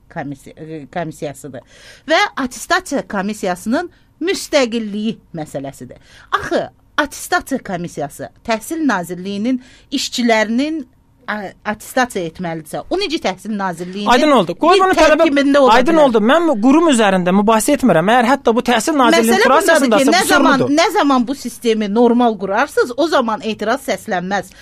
komissiyasıdır və attestasiya komissiyasının müstəqilliyi məsələsidir. Axı attestasiya komissiyası Təhsil Nazirliyinin işçilərinin attestasiya etməlidirsə, o necə Təhsil Nazirliyinin aydın oldu. Qoy bunu tərkibində ola aydın oldu. Mən qurum üzərində mübahisə etmirəm. Əgər hətta bu Təhsil Nazirliyinin kurasiyasındasa qüsurludur. Nə zaman bu sistemi normal qurarsınız, o zaman etiraz səslənməz.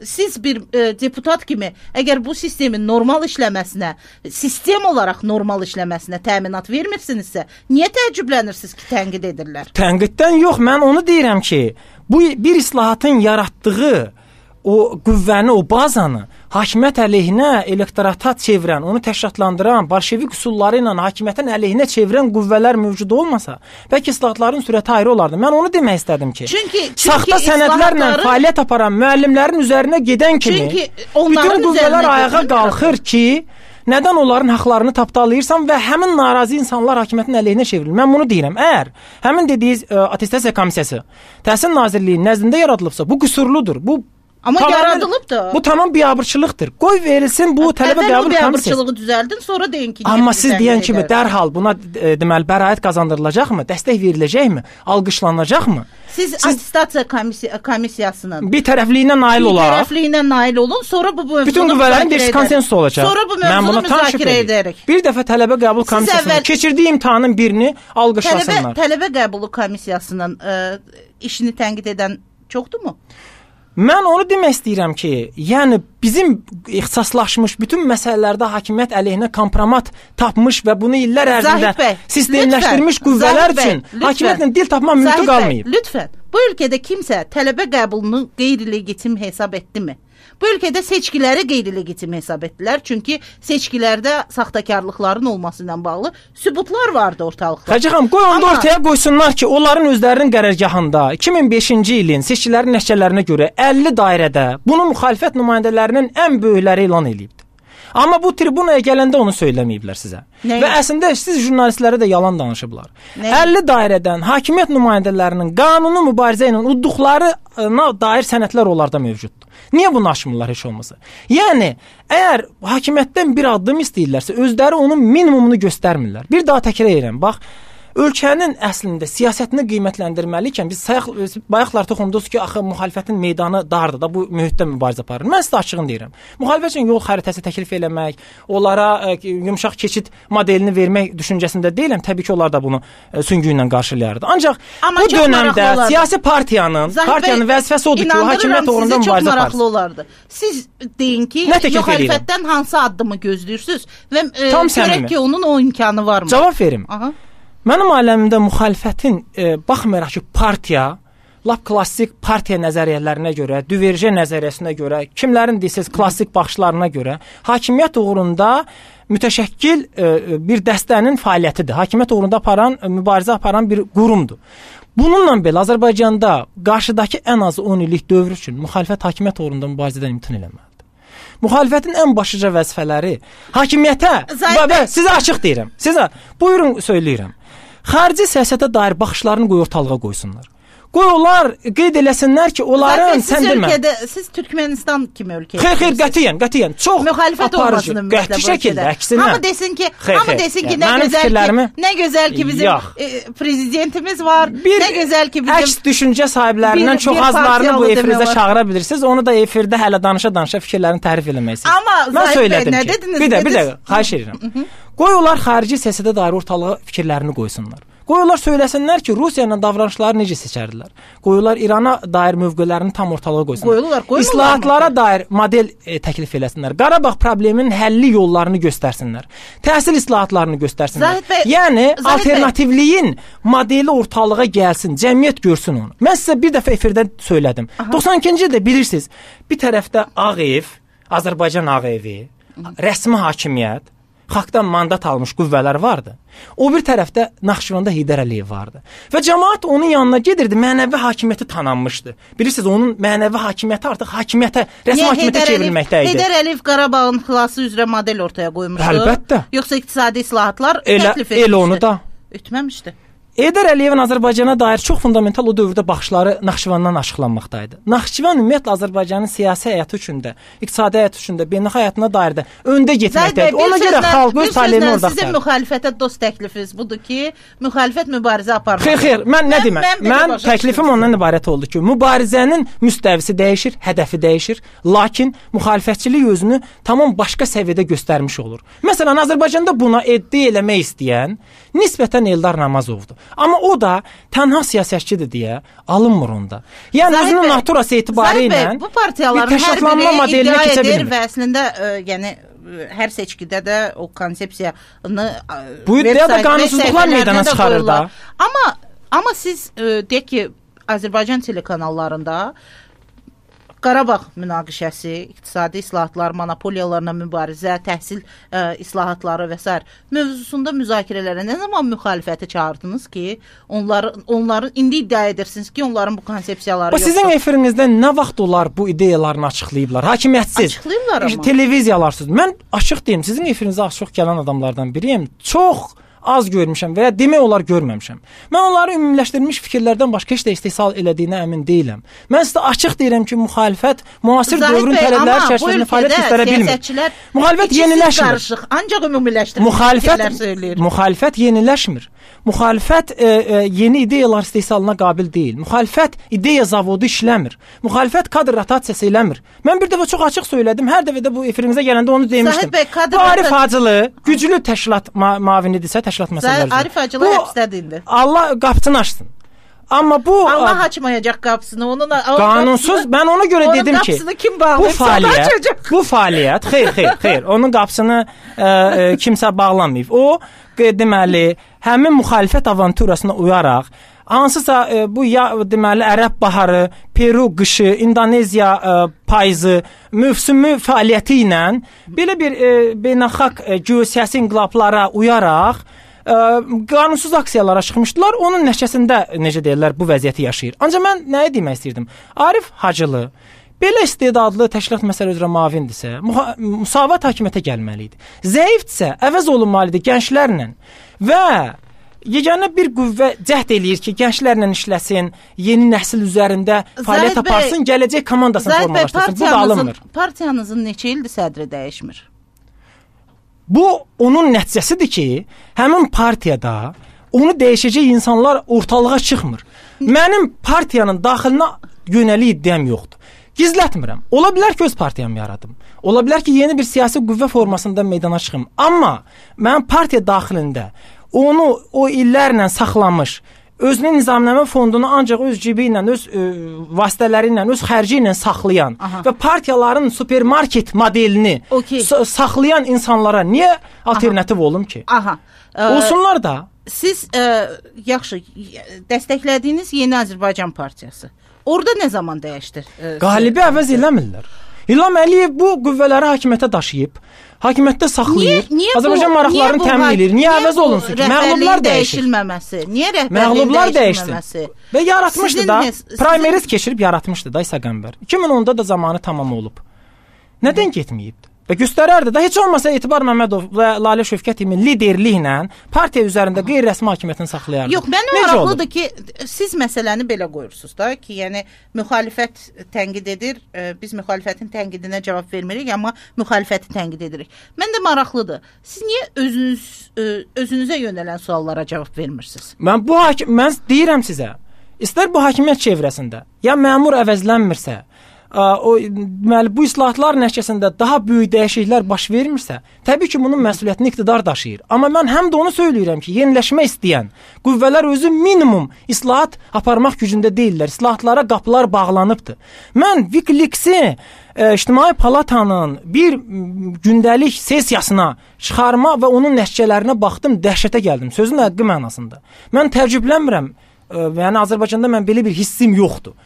Siz bir deputat kimi əgər bu sistemin normal işləməsinə, sistem olaraq normal işləməsinə təminat vermirsinizsə, niyə təəccüblənirsiniz ki, tənqid edirlər? Tənqiddən yox, mən onu deyirəm ki, bu bir islahatın yaratdığı o qüvvəni, o bazanı hakimiyyət əleyhinə elektorata çevirən, onu təşkilatlandıran, bolşevik üsulları ilə hakimiyyətin əleyhinə çevirən qüvvələr mövcud olmasa, bəlkə islahatların sürəti ayrı olardı. Mən onu demək istədim ki, saxta sənədlərlə fəaliyyət aparan müəllimlərin üzərinə gedən kimi bütün qüvvələr ayağa qalxır ki, nədən onların haqlarını tapdalayırsan və həmin narazı insanlar hakimiyyətin əleyhinə çevrilir. Mən bunu deyirəm. Əgər həmin dediyiniz attestasiya komissiyası Təhsil Nazirliyinin nəzdində yaradılıbsa, bu qüsurludur. Amma yaradılıb da. Bu tamam biabırçılıqdır. Qoy verilsin bu tələbə qəbul komissiyası. Biabırçılığı düzəldin, sonra deyin ki, amma siz deyən kimi dərhal buna deməli bəraət qazandırılacaqmı? Dəstək veriləcəkmi? Alqışlanacaqmı? Siz attestasiya komissiyasının bir tərəfliyinə nail olun, sonra bu mövzunu bütün qüvvələrin bir konsensus olacaq. Sonra bu mövzunu müzakirə edərik. Bir dəfə tələbə qəbul komissiyasının keçirdiyi imtahanın birini alqışlasınlar. Tələbə qəbulu komissiyasının işini tənqid edən çoxdurmu? Mən onu demək istəyirəm ki, yəni bizim ixtisaslaşmış bütün məsələlərdə hakimiyyət əleyhinə kompromat tapmış və bunu illər ərzində sistemləşdirmiş qüvvələr üçün hakimiyyətlə dil tapmaq mümkün qalmayıb. Lütfən, bu ölkədə kimsə tələbə qəbulunu qeyri-legitim hesab etdimi? Bu ölkədə seçkiləri qeyri-legitim hesab etdilər. Çünki seçkilərdə saxtakarlıqların olması ilə bağlı sübutlar vardı ortalıqda. Xacı xanım, qoy onu ortaya qoysunlar ki, onların özlərinin qərargahında 2005-ci ilin seçkilərin nəticələrinə görə 50 dairədə bunu müxalifət nümayəndələrinin ən böyükləri elan edibdi. Amma bu tribunaya gələndə onu söyləməyiblər sizə. Nəyi? Və əslində siz jurnalistlərə də yalan danışıblar. Nəyi? 50 dairədən hakimiyyət nümayəndələrinin qanuni mübarizə ilə udduqlarına dair sənədlər onlarda mövcuddur. Niyə bunu aşmırlar heç olmasa? Yəni, əgər hakimiyyətdən bir addım istəyirlərsə, özləri onun minimumunu göstərmirlər. Bir daha təkrar edirəm, bax, ölkənin əslində siyasətini qiymətləndirməliyikən biz bayaqlar toxundunuz ki, axı müxalifətin meydanı dardır da, bu mühitdə mübarizə aparır. Mən sizə açığını deyirəm. Müxalifət üçün yol xəritəsi təklif eləmək, onlara yumşaq keçid modelini vermək düşüncəsində deyiləm. Təbii ki, onlar da bunu süngü ilə qarşılayardı. Ancaq bu dövrdə siyasi partiyanın vəzifəsi odur ki, o hakimiyyət uğrunda mübarizə aparsın. Çox maraqlı olardı. Siz deyin ki, müxalifətdən hansı addımı gözləyirsiniz və görək ki, onun o imkanı varmı? Cavab verim. Aha. Mənim aləmimdə müxalifətin baxmayaraq ki, partiya, lap klassik partiya nəzəriyyələrinə görə, düverjə nəzəriyyəsinə görə, kimlərin deyirsiniz klassik baxışlarına görə hakimiyyət uğrunda mütəşəkkil bir dəstənin fəaliyyətidir. Hakimiyyət uğrunda mübarizə aparan bir qurumdur. Bununla belə Azərbaycanda qarşıdakı ən azı 10 illik dövr üçün müxalifət hakimiyyət uğrunda mübarizədən imtina eləməlidir. Müxalifətin ən başlıca vəzifələri hakimiyyətə, sizə açıq deyirəm. Sizə buyurun söyləyirəm. Xarici siyasətə dair baxışlarını qoy ortalığa qoysunlar. Qoy onlar qeyd eləsinlər ki, onların sən demə. Siz Türkmenistan kimi ölkə. Xeyr, qətiyyən. Çox müxalifət olmasın ümumiyyətlə bu şəkildə, əksinə. Hamı desin ki, nə gözəl ki bizim prezidentimiz var. Nə gözəl ki bizim əks düşüncə sahiblərindən çox azlarını bu efirizə çağıra bilirsiniz. Onu da efirdə hələ danışa fikirlərini tərif eləməlisiniz. Amma mən söylədim nə ki, dediniz? Bir dəqiqə, xahiş edirəm. Qoy onlar xarici siyasətə dair ortalığa fikirlərini qoysunlar. Qoy onlar söyləsinlər ki, Rusiya ilə davranışları necə seçərdilər. Qoy onlar İrana dair mövqelərini tam ortalığa qoysunlar. İslahatlara dair model təklif eləsinlər. Qarabağ probleminin həlli yollarını göstərsinlər. Təhsil islahatlarını göstərsinlər. Yəni alternativliyin modeli ortalığa gəlsin, cəmiyyət görsün onu. Mən sizə bir dəfə efirdə söylədim. 92-ci ildə bilirsiniz, bir tərəfdə Ağ Ev, Azərbaycan Ağ Evi, rəsmi hakimiyyət, xalqdan mandat almış qüvvələr vardı. O bir tərəfdə Naxçıvanda Heydər Əliyev vardı. Və cəmaət onun yanına gedirdi, mənəvi hakimiyyəti tanınmışdı. Bilirsiniz, onun mənəvi hakimiyyəti artıq hakimiyyətə, rəsmi hakimiyyətə çevrilməkdə idi. Heydər Əliyev Qarabağın xilası üzrə model ortaya qoymuşdu. Əlbəttə. Yoxsa iqtisadi islahatlar təklif etmişdi. Elə onu da. Etməmişdi. Heydər Əliyevin Azərbaycana dair çox fundamental o dövrdə baxışları Naxçıvandan açıqlanmaqdaydı. Naxçıvan ümumiyyətlə Azərbaycanın siyasi həyatı üçün də, iqtisadi həyatı üçün də, beynəlxalq həyatına dair də öndə getməkdədir. Ona görə xalq öz taleyini orada axtarır. Sizin müxalifətə dost təklifiniz budur ki, müxalifət mübarizə aparmalı. Xeyr, mən nə deməm? Mən təklifim ondan ibarət oldu ki, mübarizənin müstəvisi dəyişir, hədəfi dəyişir, lakin müxalifətçilik özünü tamam başqa səviyyədə göstərmiş olur. Məsələn, Azərbaycanda buna iddia eləmək istəyən nisbətən Eldar Namazovdur. Amma o da tənha siyasətçidir deyə alınmır onda. Yəni özünün naturası etibarı ilə bu partiyaların hər biri iddia edir və əslində yəni hər seçkidə də o konsepsiyanı bu iddiada qanunsuzluqlar meydana çıxarır da. Amma siz deyək ki, Azərbaycan telekanallarında Qarabağ münaqişəsi, iqtisadi islahatlar, monopoliyalarla mübarizə, təhsil islahatları və s. mövzusunda müzakirələrə nə zaman müxalifəti çağırdınız ki, onları indi iddia edirsiniz ki, onların bu konsepsiyaları yoxdur. Sizin efirinizdə nə vaxt onlar bu ideyalarını açıqlayıblar? Hakimiyyətsiz. Açıqlayırlar amma. Televiziyalar. Mən açıq deyim, sizin efirinizə açıq gələn adamlardan biriyəm. Çox az görmüşəm və ya demək olar görməmişəm. Mən onları ümumiləşdirilmiş fikirlərdən başqa heç də istehsal elədiyinə əmin deyiləm. Mən sizə açıq deyirəm ki, müxalifət müasir dövrün tələbləri çərçivəsində fəaliyyət göstərə bilmir. Müxalifət yeniləşmir. Ancaq ümumiləşdirilmiş fikirlər söyləyir. Müxalifət yeniləşmir. Müxalifət yeni ideyalar istehsalına qabil deyil. Müxalifət ideya zavodu işləmir. Müxalifət kadr rotasiyası eləmir. Mən bir dəfə çox açıq söylədim. Hər dəfə də bu efirimizə gələndə onu demişdim. Bu Arif Hacılı güclü təşkilat mavinidirsə, təşkilat məsələləri. Arif Hacılı həbsdədir indi. Allah qapısını açsın. Amma bu Allah açmayacaq qapısını. Onun qanunsuz. Mən ona görə dedim ki, bu fəaliyyət xeyr, onun qapısını kimsə bağlamayıb. O deməli həmin müxalifət avanturasına uyaraq hansısa bu ya deməli Ərəb baharı, Peru qışı, İndoneziya payızı mövsümü fəaliyyəti ilə belə bir beynəlxalq geosiyasi inqilablara uyaraq qanunsuz aksiyalara çıxmışdılar. Onun nəticəsində necə deyirlər bu vəziyyəti yaşayır. Ancaq mən nəyə demək istirdim? Arif Hacılı belə istedadlı təşkilat məsələ üzrə müavindirsə, müsavat hakimiyyətə gəlməli idi. Zəifdirsə, əvəz olunmalıdır gənclərlə və yeganə bir qüvvə cəhd eləyir ki, gənclərlə işləsin, yeni nəsil üzərində fəaliyyət aparsın, gələcək komandasını formalaşdırsın. Bu da alınmır. Partiyanızın neçə ildir sədri dəyişmir? Bu onun nəticəsidir ki, həmin partiyada onu dəyişəcək insanlar ortalığa çıxmır. Mənim partiyanın daxilinə yönəlik iddiam yoxdur. Gizlətmirəm. Ola bilər ki, öz partiyamı yaradım. Ola bilər ki, yeni bir siyasi qüvvə formasında meydana çıxım. Amma mənim partiya daxilində onu o illərlə saxlamış, özünün nizamnamə fondunu ancaq öz cibi ilə, öz vasitələri ilə, öz xərci ilə saxlayan və partiyaların supermarket modelini saxlayan insanlara niyə alternativ olum ki? Olsunlar da. Siz yaxşı dəstəklədiyiniz Yeni Azərbaycan Partiyası orada nə zaman dəyişdi? Qalibi əvəz eləmirlər. İlham Əliyev bu qüvvələri hakimiyyətə daşıyıb, hakimiyyətdə saxlayır, Azərbaycan maraqlarını təmin edir. Niyə əvəz olunsun ki? Məğlublar dəyişir. Niyə rəhbərliyin dəyişilməməsi? Və yaratmışdı da, primaries keçirib yaratmışdı da İsa Qəmbər. 2010-da da zamanı tamam olub. Nədən getməyibdi? Və göstərərdi də, heç olmasa Etibar Məmmədov və Lalə Şövkətovun liderliklə partiya üzərində qeyri-rəsmi hakimiyyətini saxlayardı. Yox, mənim maraqlıdır ki, siz məsələni belə qoyursunuz da ki, yəni müxalifət tənqid edir, biz müxalifətin tənqidinə cavab vermirik, amma müxalifəti tənqid edirik. Mən də maraqlıdır. Siz niyə özünüzə yönələn suallara cavab vermirsiniz? Mən deyirəm sizə, istər bu hakimiyyət çevrəsində, ya məmur əvəzlənmirsə, deməli bu islahatlar nəticəsində daha böyük dəyişikliklər baş vermirsə, təbii ki, bunun məsuliyyətini iqtidar daşıyır. Amma mən həm də onu söyləyirəm ki, yeniləşmə istəyən qüvvələr özü minimum islahat aparmaq gücündə deyirlər. İslahatlara qapılar bağlanıbdır. Mən WikiLeaks-i İctimai Palatanın bir gündəlik sessiyasına çıxarma və onun nəticələrinə baxdım, dəhşətə gəldim. Sözün həqiqi mənasında. Mən təəccüblənmirəm. Yəni Azərbaycanda mən belə bir hissim yoxdur.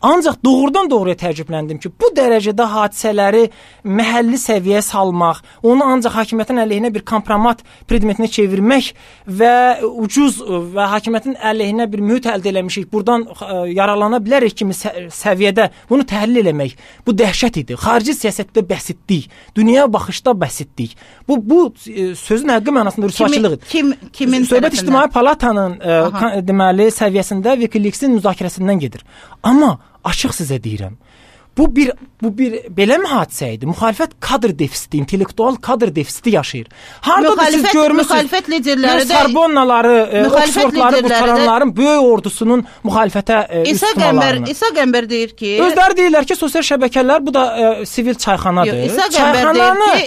Ancaq doğrudan doğruya təəccübləndim ki, bu dərəcədə hadisələri məhəlli səviyyəyə salmaq, onu ancaq hakimiyyətin əleyhinə bir kompromat predmetinə çevirmək və ucuz və hakimiyyətin əleyhinə bir mühit əldə eləmişik, buradan yaralana bilərik kimi səviyyədə bunu təhlil eləmək, bu dəhşət idi. Xarici siyasətdə bəsitlik, dünyaya baxışda bəsitlik. Bu sözün həqiqi mənasında rüsvaçılıq idi. Kimin Söhbət İctimai Palatanın deməli səviyyəsində WikiLeaks-in müzakirəsindən gedir. Amma açıq sizə deyirəm. Bu bir belə mi hadisə idi? Müxalifət kadr defisiti, intellektual kadr defisiti yaşayır. Harda siz görmüsünüz? Müxalifət liderləri də Sorbonnaları, Oxfordları qurtaranların böyük ordusunun müxalifətə üstünlüyü. İsa Qəmbər deyir ki, özləri deyirlər ki, sosial şəbəkələr bu da sivil çayxanadır.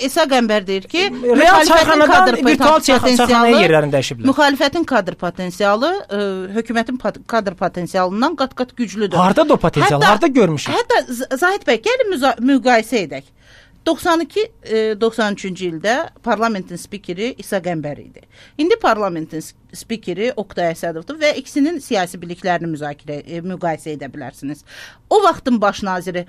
İsa Qəmbər deyir ki, real çayxanadan virtual çayxanaya yerlərini dəyişiblər. Müxalifətin kadr potensialı hökumətin kadr potensialından qat-qat güclüdür. Harda da o potensial, harda görmüşük? Hətta Zahid bəy, gəlin müqayisə edək. 92-93-cü ildə parlamentin spikeri İsa Qəmbər idi. İndi parlamentin spikeri Oqtay Əsədovdur və ikisinin siyasi biliklərini müqayisə edə bilərsiniz. O vaxtın baş naziri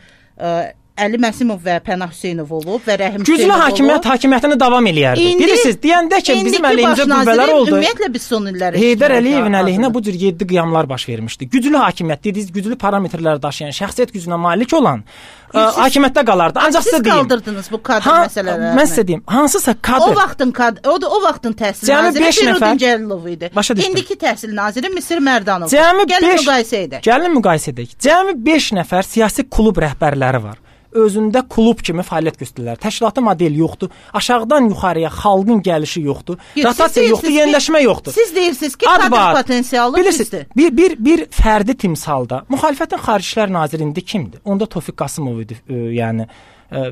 Əli Məsimov və Pənah Hüseynov olub və Rəhim Hüseynov olub. Güclü hakimiyyətini davam eləyərdi. Bilirsiniz, deyəndə ki, bizim əleyhimizə qüvvələr oldu. Ümumiyyətlə biz son illəri Heydər Əliyevin əleyhinə bu cür 7 qiyamlar baş vermişdi. Güclü hakimiyyət dediniz, güclü parametrləri daşıyan, şəxsiyyət gücünə malik olan hakimiyyətdə qalardı. Ancaq sizə deyim. Siz qaldırdınız bu kadr məsələlərini. Mən sizə deyim, hansısa kadr. O vaxtın təhsil naziri Firudin Cəlilov idi. İndiki təhsil naziri Misir Mərdanov. Gəlin müqayisə edək. Gəlin müqayisə edək. Cəmi 5 nəfər siyasi klub rəhbərləri var. Özündə klub kimi fəaliyyət göstərirlər. Təşkilati model yoxdur. Aşağıdan yuxarıya xalqın gəlişi yoxdur. Rotasiya yoxdur, yeniləşmə yoxdur. Siz deyirsiniz ki, kadr potensialı pisdir. Bir fərdi timsalda müxalifətin Xarici İşlər naziri indi kimdir? Onda Tofiq Qasımov idi, yəni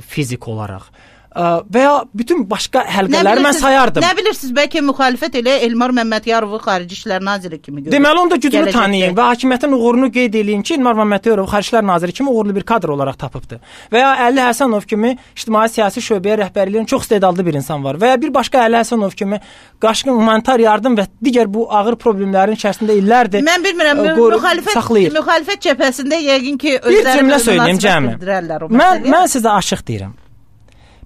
fizik olaraq. Və ya bütün başqa həlqələri mən sayardım. Nə bilirsiniz, bəlkə müxalifət elə Elmar Məmmədyarovu Xarici İşlər naziri kimi görür. Deməli, onda güclü tanıyın və hakimiyyətin uğurunu qeyd edin ki, Elmar Məmmədyarovu Xarici İşlər naziri kimi uğurlu bir kadr olaraq tapıbdı. Və ya Əli Həsənov kimi ictimai siyasi şöbəyə rəhbərliyin çox istedadlı bir insan var. Və ya bir başqa Əli Həsənov kimi qaşqın humanitar yardım və digər bu ağır problemlərin içərisində illərdir. Mən bilmirəm, müxalifət cəbhəsində yəqin ki, özləri bir cümlə söyləyim cəmi. Mən sizə açıq deyirəm.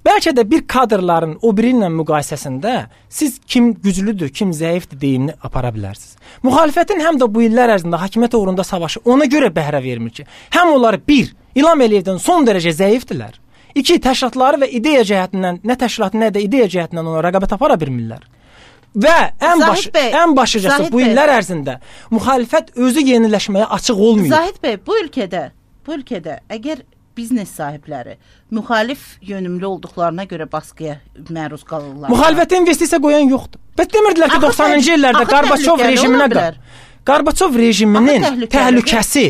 Bəlkə də bir kadrların o biri ilə müqayisəsində siz kim güclüdür, kim zəifdir deyimini apara bilərsiniz. Müxalifətin həm də bu illər ərzində hakimiyyət uğrunda savaşı ona görə bəhrə vermir ki, həm onlar bir, İlham Əliyevdən son dərəcə zəifdirlər. İki, təşkilatları və ideya cəhətindən, nə təşkilatı, nə də ideya cəhətindən ona rəqabət apara bilmirlər. Və ən başıcası bu illər ərzində müxalifət özü yeniləşməyə açıq olmuyor. Zahid bəy, bu ölkədə əgər biznes sahibləri müxalif yönümlü olduqlarına görə baskıya məruz qalırlar. Müxalifətə investisiya qoyan yoxdur. Bəs demirdilər ki, 90-cı illərdə Qarbaçov rejiminin təhlükəsi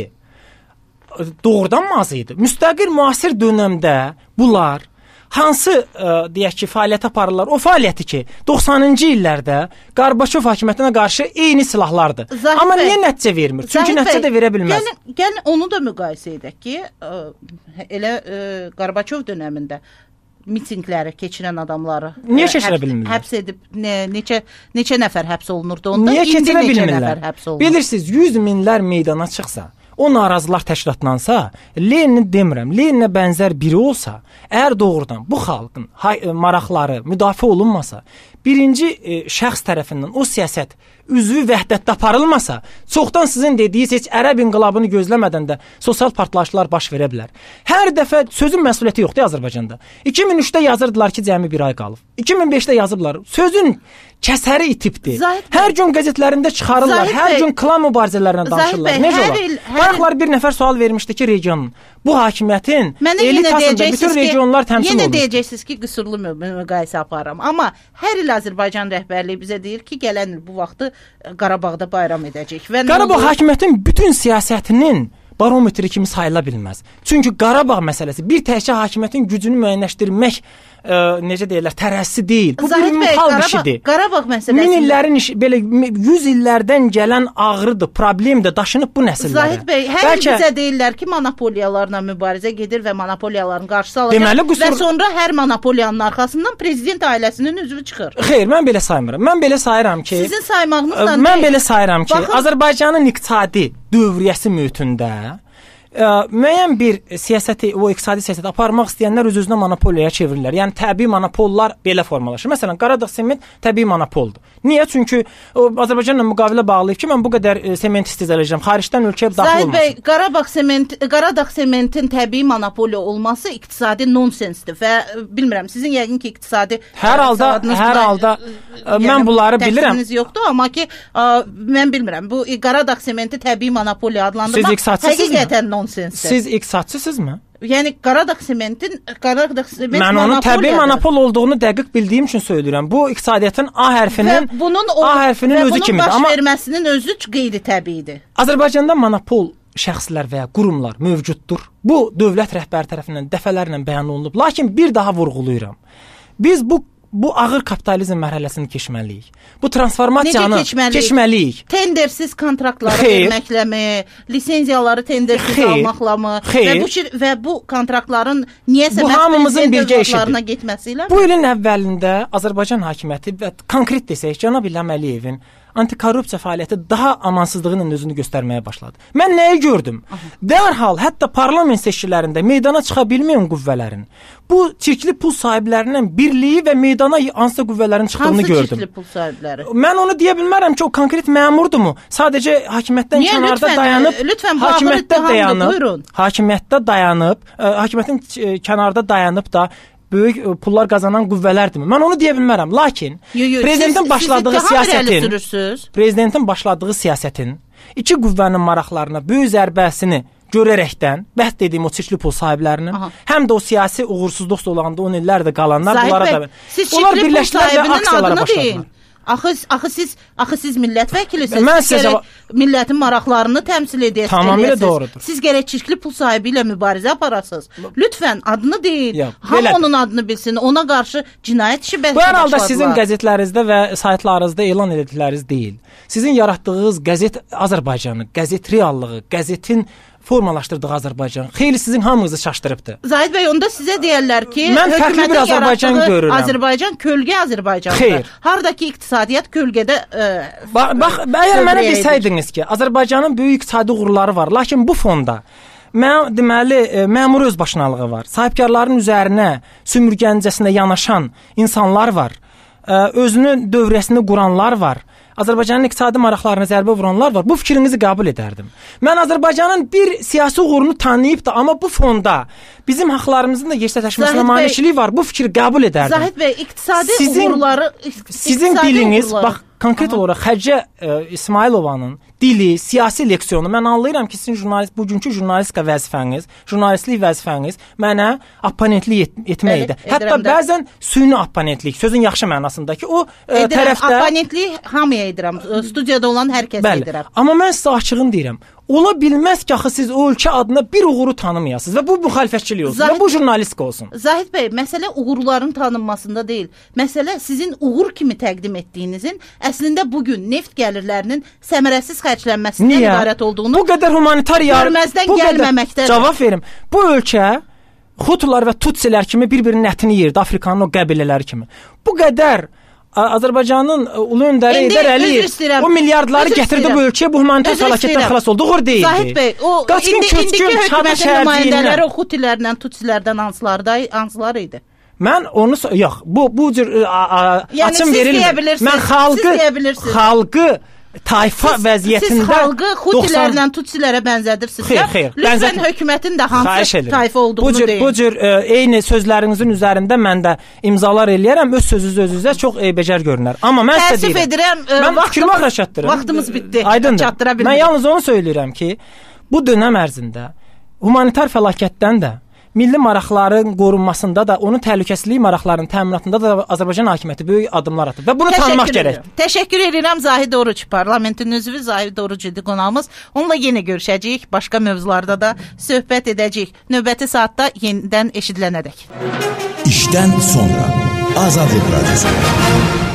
doğrudan mı az idi? Müstəqil müasir dövrdə bunlar hansı deyək ki, fəaliyyət aparırlar? O fəaliyyəti ki, 90-cı illərdə Qarbaçov hakimiyyətinə qarşı eyni silahlardır. Amma niyə nəticə vermir? Çünki nəticə də verə bilməz. Gəlin onu da müqayisə edək ki, elə Qarbaçov dövründə mitinqləri keçirən adamları niyə keçirə bilmirlər? Həbs edib neçə nəfər həbs olunurdu onda? Niyə keçirə neçə bilmirlər? Nəfər həbs olunur? Bilirsiniz, 100 minlər meydana çıxsa, o narazılar təşkilatlansa, Lenini demirəm, Leninə bənzər biri olsa, əgər doğrudan bu xalqın maraqları müdafiə olunmasa, birinci şəxs tərəfindən o siyasət üzvü vəhdətdə aparılmasa, çoxdan sizin dediyiniz heç ərəb inqilabını gözləmədən də sosial partlayışlar baş verə bilər. Hər dəfə sözün məsuliyyəti yoxdur Azərbaycanda. 2003-də yazırdılar ki, cəmi bir ay qalıb. 2005-də yazıblar. Sözün kəsəri itibdir. Hər gün qəzetlərində çıxarırlar, hər gün klan mübarizələrinə danışırlar. Necə olar? Bayaqlar bir nəfər sual vermişdi ki, regionun bu hakimiyyətin elitasında bütün regionlar təmsil olunur. Yenə deyəcəksiniz ki, qüsurlu müqayisə aparıram. Amma hər il Azərbaycan rəhbərliyi bizə deyir ki, gələn il bu vaxtı Qarabağda bayram edəcək. Qarabağ hakimiyyətin bütün siyasətinin barometri kimi sayıla bilməz. Çünki Qarabağ məsələsi bir təkcə hakimiyyətin gücünü müəyyənləşdirmək necə deyirlər, tərəzisi deyil. Bu bir ümumxalq işidir. Qarabağ məsələsi. Min illərin işi, belə 100 illərdən gələn ağrıdır, problemdir, daşınıb bu nəsillərə. Zahid bəy, hər il bizə deyirlər ki, monopoliyalarla mübarizə gedir və monopoliyaların qarşısı alınacaq və sonra hər monopoliyanın arxasından prezident ailəsinin üzvü çıxır. Xeyr, mən belə saymıram. Mən belə sayıram ki, sizin saymağınızla mən belə sayıram ki, Azərbaycanın iqtisadi dövriyyəsi mühitində müəyyən bir siyasəti, o iqtisadi siyasəti aparmaq istəyənlər öz-özünə monopoliyaya çevirirlər. Yəni təbii monopollar belə formalaşır. Məsələn, Qaradağ sement təbii monopoldur. Niyə? Çünki Azərbaycanla müqavilə bağlayıb ki, mən bu qədər sement istehsal xaricdən ölkəyə daxil olmasın. Bəy, Qaradağ sementin təbii monopoliya olması iqtisadi nonsensdir və bilmirəm, sizin yəqin ki, iqtisadi hər halda mən bunları bilirəm. Yoxdur, amma ki, mən bilmirəm. Bu Qaradağ sementi təbii monopoliya adlandırmaq həqiqətən nonsensdir. Siz iqtisadçısınızmı? Yəni Qaradağ sement mən onun təbii monopol olduğunu dəqiq bildiyim üçün söyləyirəm. Bu iqtisadiyyatın A hərfinin özü kimidir. Amma baş verməsinin özü qeyri-təbiidir. Azərbaycanda monopol şəxslər və ya qurumlar mövcuddur. Bu dövlət rəhbəri tərəfindən dəfələrlə bəyan olunub. Lakin bir daha vurğulayıram. Biz bu ağır kapitalizm mərhələsini keçməliyik. Bu transformasiyanı keçməliyik. Tendersiz kontraktları verməkləmi, lisenziyaları tendersiz almaqlamı və bu kontraktların niyəsə məhsullarına getməsi ilə? Bu ilin əvvəlində Azərbaycan hakimiyyəti və konkret desək, cənab İlham Əliyevin antikorrupsiya fəaliyyəti daha amansızlığının özünü göstərməyə başladı. Mən nəyi gördüm? Dərhal, hətta parlament seçkilərində meydana çıxa bilməyən qüvvələrin bu çirkli pul sahiblərinin birliyi və meydana hansısa qüvvələrin çıxdığını gördüm. Hansı çirkli pul sahibləri? Mən onu deyə bilmərəm ki, o konkret məmurdurmu? Sadəcə hakimiyyətdən kənarda dayanıb, hakimiyyətin kənarda dayanıb da böyük pullar qazanan qüvvələrdirmi? Mən onu deyə bilmərəm. Lakin prezidentin başladığı siyasətin iki qüvvənin maraqlarına böyük zərbəsini görərəkdən, bəhs dediyim o çirkli pul sahiblərinin, həm də o siyasi uğursuzluq olanda 10 illərdə qalanlar bunlara da onlar birləşdilər və aksiyalara başladılar. Axı siz millət vəkilisiniz. Millətin maraqlarını təmsil edəsiniz. Tamamilə doğrudur. Siz gərək çirkli pul sahibi ilə mübarizə aparasınız. Lütfən adını deyin. Hamı onun adını bilsin. Ona qarşı cinayət işi başladılar. Bu hər halda sizin qəzetlərinizdə və saytlarınızda elan edildikləriniz deyil. Sizin yaratdığınız qəzet Azərbaycanı, qəzet reallığı, qəzetin formalaşdırdığı Azərbaycan xeyli sizin hamınızı çaşdırıbdı. Zahid bəy, onda sizə deyərlər ki, mən fərqli bir Azərbaycan görürəm. Azərbaycan kölgə Azərbaycandır. Hardakı iqtisadiyyat kölgədə bax, əgər mənə desəydiniz ki, Azərbaycanın böyük iqtisadi uğurları var, lakin bu fonda deməli, məmur özbaşınalığı var. Sahibkarların üzərinə sümürgəncəsinə yanaşan insanlar var. Özünün dövrəsini quranlar var. Azərbaycanın iqtisadi maraqlarına zərbə vuranlar var. Bu fikrinizi qəbul edərdim. Mən Azərbaycanın bir siyasi uğurunu tanıyıb da, amma bu fonda bizim haqlarımızın da yersətləşməsinə maneçiliyi var. Bu fikri qəbul edərdim. Zahid bəy, iqtisadi uğurları, sizin diliniz, bax, konkret olaraq Xədicə İsmailovanın dili, siyasi leksiyonu, mən anlayıram ki, sizin bugünkü jurnalistika vəzifəniz, jurnalistlik vəzifəniz mənə opponentlik etməkdir. Hətta bəzən süni opponentlik, sözün yaxşı mənasındakı o tərəfdə opponentlik hamıya edirəm. Studiyada olan hər kəsə edirəm. Amma mən sizə açığın deyirəm. Ola bilməz ki, axı siz o ölkə adına bir uğuru tanımayasınız və bu müxalifətçilik olsun və bu jurnalistika olsun. Zahid bəy, məsələ uğurların tanınmasında deyil. Məsələ sizin uğur kimi təqdim etdiyinizin əslində bugün neft gəlirlərinin səmərəsiz xərclənməsindən ibarət olduğunu, bu qədər humanitar görməzdən gəlməməkdədir. Cavab verim. Bu ölkə Hutular və Tutsilər kimi bir-birinin ətini yeyirdi, Afrikanın o qəbilələri kimi. Bu qədər Azərbaycanın ulu öndəri Heydər Əliyev o milyardları gətirdi bu ölkəyə, bu humanitar fəlakətdən xilas oldu. Uğur deyildi. Zahid bəy, o indiki hökumətin nümayəndələri o Hutilərlə, Tutsilərdən hansılar idi? Mən onu yox, bu cür açım verilmir. Mən xalqı tayfa vəziyyətində siz xalqı Hutilərlə Tutsilərə bənzədirsiniz. Xeyr, lütfən hökumətin də hansı tayfa olduğunu deyin. Bu cür eyni sözlərinizin üzərində mən də imzalar eləyərəm, öz sözünüz özünüzə çox eybəcər görünər. Amma mən sizə deyirəm, mən fikrimi axıra çatdırıram. Vaxtımız bitdi. Çatdıra bilmirəm. Mən yalnız onu söyləyirəm ki, bu dönəm ərzində humanitar fəlakətdən də milli maraqların qorunmasında da, onun təhlükəsizlik maraqlarının təminatında da Azərbaycan hakimiyyəti böyük addımlar atıb və bunu tanımaq gərəkdir. Təşəkkür edirəm Zahid Oruc, parlamentin üzvü Zahid Oruc idi qonağımız. Onunla yenə görüşəcəyik, başqa mövzularda da söhbət edəcəyik. Növbəti saatda yenidən eşidilənədək. İşdən sonra Azadlıq Radiosu.